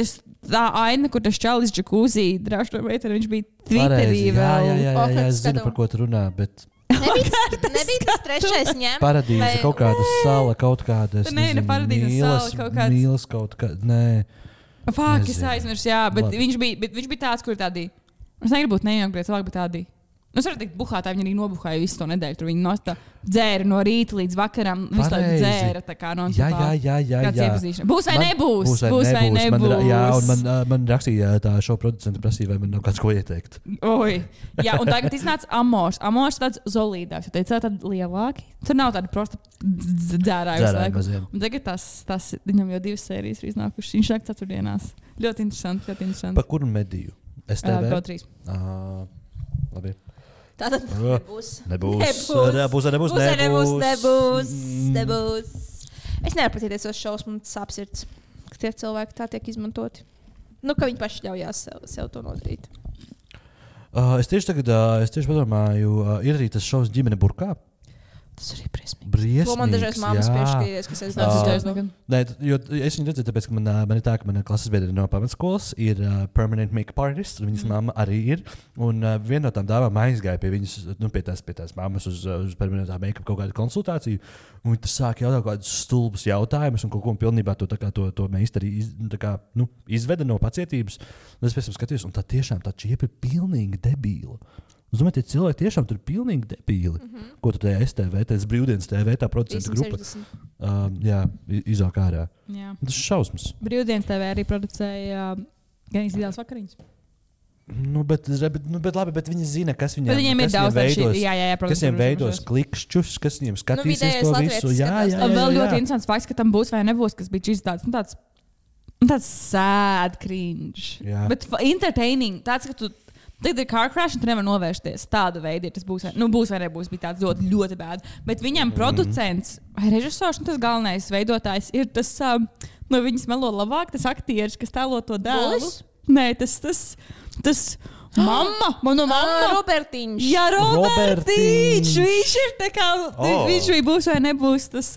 tā aina, kur tas čalis džakūzī drāž to meiteni, viņš bija Twitterī vēl. Jā, es zinu, par ko tu runā, bet... Nebija tas trešais ņem? Paradīze, kaut kāda sala, kaut kāda, es nezinu, mīlas kaut kāda, nē. Fuck, es aizmirsu, jā, bet viņš bija tāds, kur tādī, es negribu būt nejaukt, bet cilvēki bija tādī. Es varu teikt, buhātāji, viņi arī nobuhāja visu to nedēļu. Tur viņi dzēra no rīta līdz vakaram. Visu laiku dzēra, tā kā non-stopā. Jā. Kāds iepazīšana. Būs vai nebūs? Būs vai nebūs. Jā, un man rakstīja tā šo producentu prasīja, vai man nav kāds ko ieteikt. Oi. Jā, un tagad iznāca Amors. Amors tāds zolīdāks. Jo teica, tādi lielāki. Tur nav tāda prosta dzērāja visu laiku. Un tagad tas viņam jau 2 sērijas ir iznākušas. Viņš nāk ceturtdienās. Ļoti interesanti. Pa kuru mediju? STV? Pro 3. Labi. Tātad nebūs. Es nevaru patīties uz šausmu, man tas apsirds, ka tie cilvēki tā tiek izmantoti. Ka viņi paši ļaujās sev to nodarīt. Es tieši padomāju, ir arī tas šovs Ģimene burkā. Tas arī briesmīgs. To man dažreiz māmas piešķīries, kas es nezinu. Nē, jo es viņu redzēju, tāpēc, ka man ir tā, ka mana klases biedri no pamatskolas ir permanent make-up artist, un viņas mamma arī ir. Un viena no tām dāvām aizgāja pie viņas, pie tās mammas uz permanentā make-up kaut kādu konsultāciju. Un viņi sāk jautāt kaut kādus stulbus jautājumus, un kaut ko pilnībā to meistari izveda no pacietības. Un es pēc tam skatījos, un tā tiešām tā čiepa ir pilnīgi debīla. Es domāju, tie cilvēki tiešām tur ir pilnīgi debīli. Ko tu tajā STV, tas brīvdienas TV, tā producentu grupa. Izāk ārā. Jā. Tas ir šausmas. Brīvdienas TV arī producēja gan ideāls vakariņas. Bet viņi zina, kas viņiem ir daudz veidos. Kas viņiem veidos klikšķus, kas viņiem skatīsies to visu. Jā. Vēl ļoti interesants fakts, ka tam būs vai nebūs, kas bija šis tāds sad cringe. Bet entertaining. Tāds, ka tu tagad ir car crash, un tu nevar novērsties. Tāda veida ir tas būs vai nebūs. Bija tāds ļoti bēd. Bet viņam producents vai režisors, tas galvenais veidotājs ir tas, no viņas melo labāk, tas aktieris, kas tēlo to dēlu. Nē, tas mamma, mana mamma. Robertiņš. Jā, Robertiņš. Viņš ir tā kā, viņš vai būs vai nebūs tas,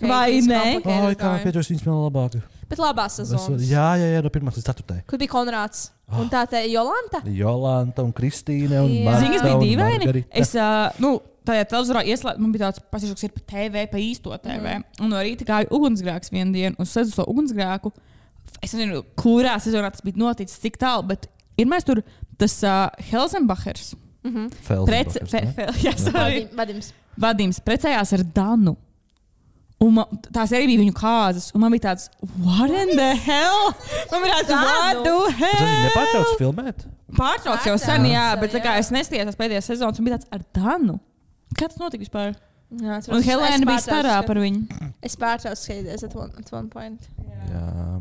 vai ne? Kā pieķos viņas melo labāk. Bet labās sezonas. Jā, no 1. līdz 4. Kur bija Konrāds? Un tā te Jolanta? Jolanta un Kristīne un Marta. Zini, kas bija dīvaini? Es, tajā televizorā ieslēdzu, man bija tāds pasiešoks ir pa TV, pa īsto TV. Un no rīta gāju ugunsgrēks vienu dienu, un sēdzu to ugunsgrēku. Es nezinu, kurā sezonā tas bija noticis, cik tālu, bet ir mēs tur tas Helzenbachers. Vadims precējās ar Danu. Un tās arī bija viņu kāzas. Un man bija tāds, what in the hell? Man bija tāds, what the hell? Tas nepārtrauc filmēt? Pārtrauc jau sen, jā, bet tā kā es neskatījos pēdējās sezonas, un bija tāds ar Danu. Kā tas notika vispār? Jā, un Helēna bija starā par viņu. Es pārtraucu skatīties at one point. Jā.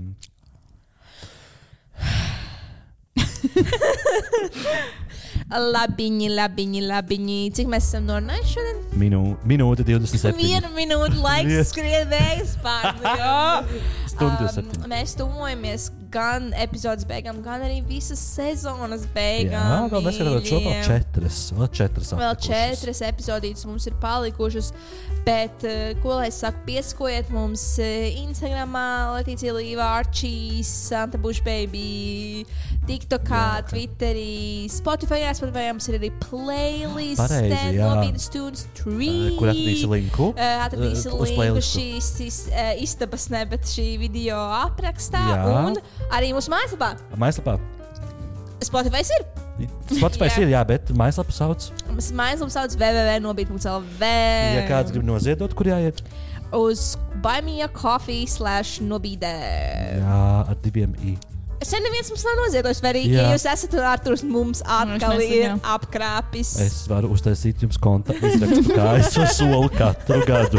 Labiņi. Cik mēs esam norunājuši šodien? Minūte 27. 1 minūte laiks skrien vējas pār. Stundu 7. Mēs tuvojamies gan epizodes beigām, gan arī visas sezonas beigām. Jā, mēs skatām šo vēl 4. Vēl 4 epizodītes mums ir palikušas. Bet, ko lai es saku, piesakojiet mums Instagramā, Letīcija Līva, Archie, Santa Bush Baby, TikTokā, Twitterī, Spotify mums ir arī playlist, Nobīdas Tunes 3. Kur atradīsi linku? Atradīsi linku šīs istabas, ne, bet šī video aprakstā. Un arī mūsu mājaslapā. Spotify ir. Spotify ir, jā, bet mājaslapa sauc. Mājaslapa sauc www.nobīd.lv. Ja kāds grib noziedot, kur jāiet? Uz buymeacoffee/nobīdē. Jā, ar 2 i. Šeit neviens mums nav noziedojis, vai arī, ja jūs esat Arturs mums atkal ir apkrāpis. Es varu uztaisīt jums konta izrakstu, kā es to solu katru gadu.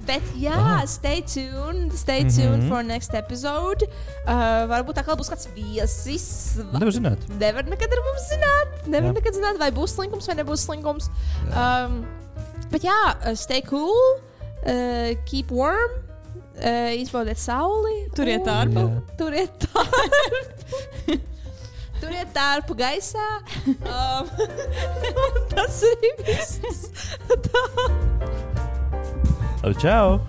Bet jā, stay tuned for next episode. Varbūt tā kā būs kāds viesis. Nevar zināt. Nevar nekad ar mums zināt. Nevar nekad zināt, vai būs slinkums vai nebūs slinkums. Bet jā, stay cool, keep warm, izbaudiet sauli. Turiet ārpu. Turiet tārpu gaisā. Tas arī viss. Čau!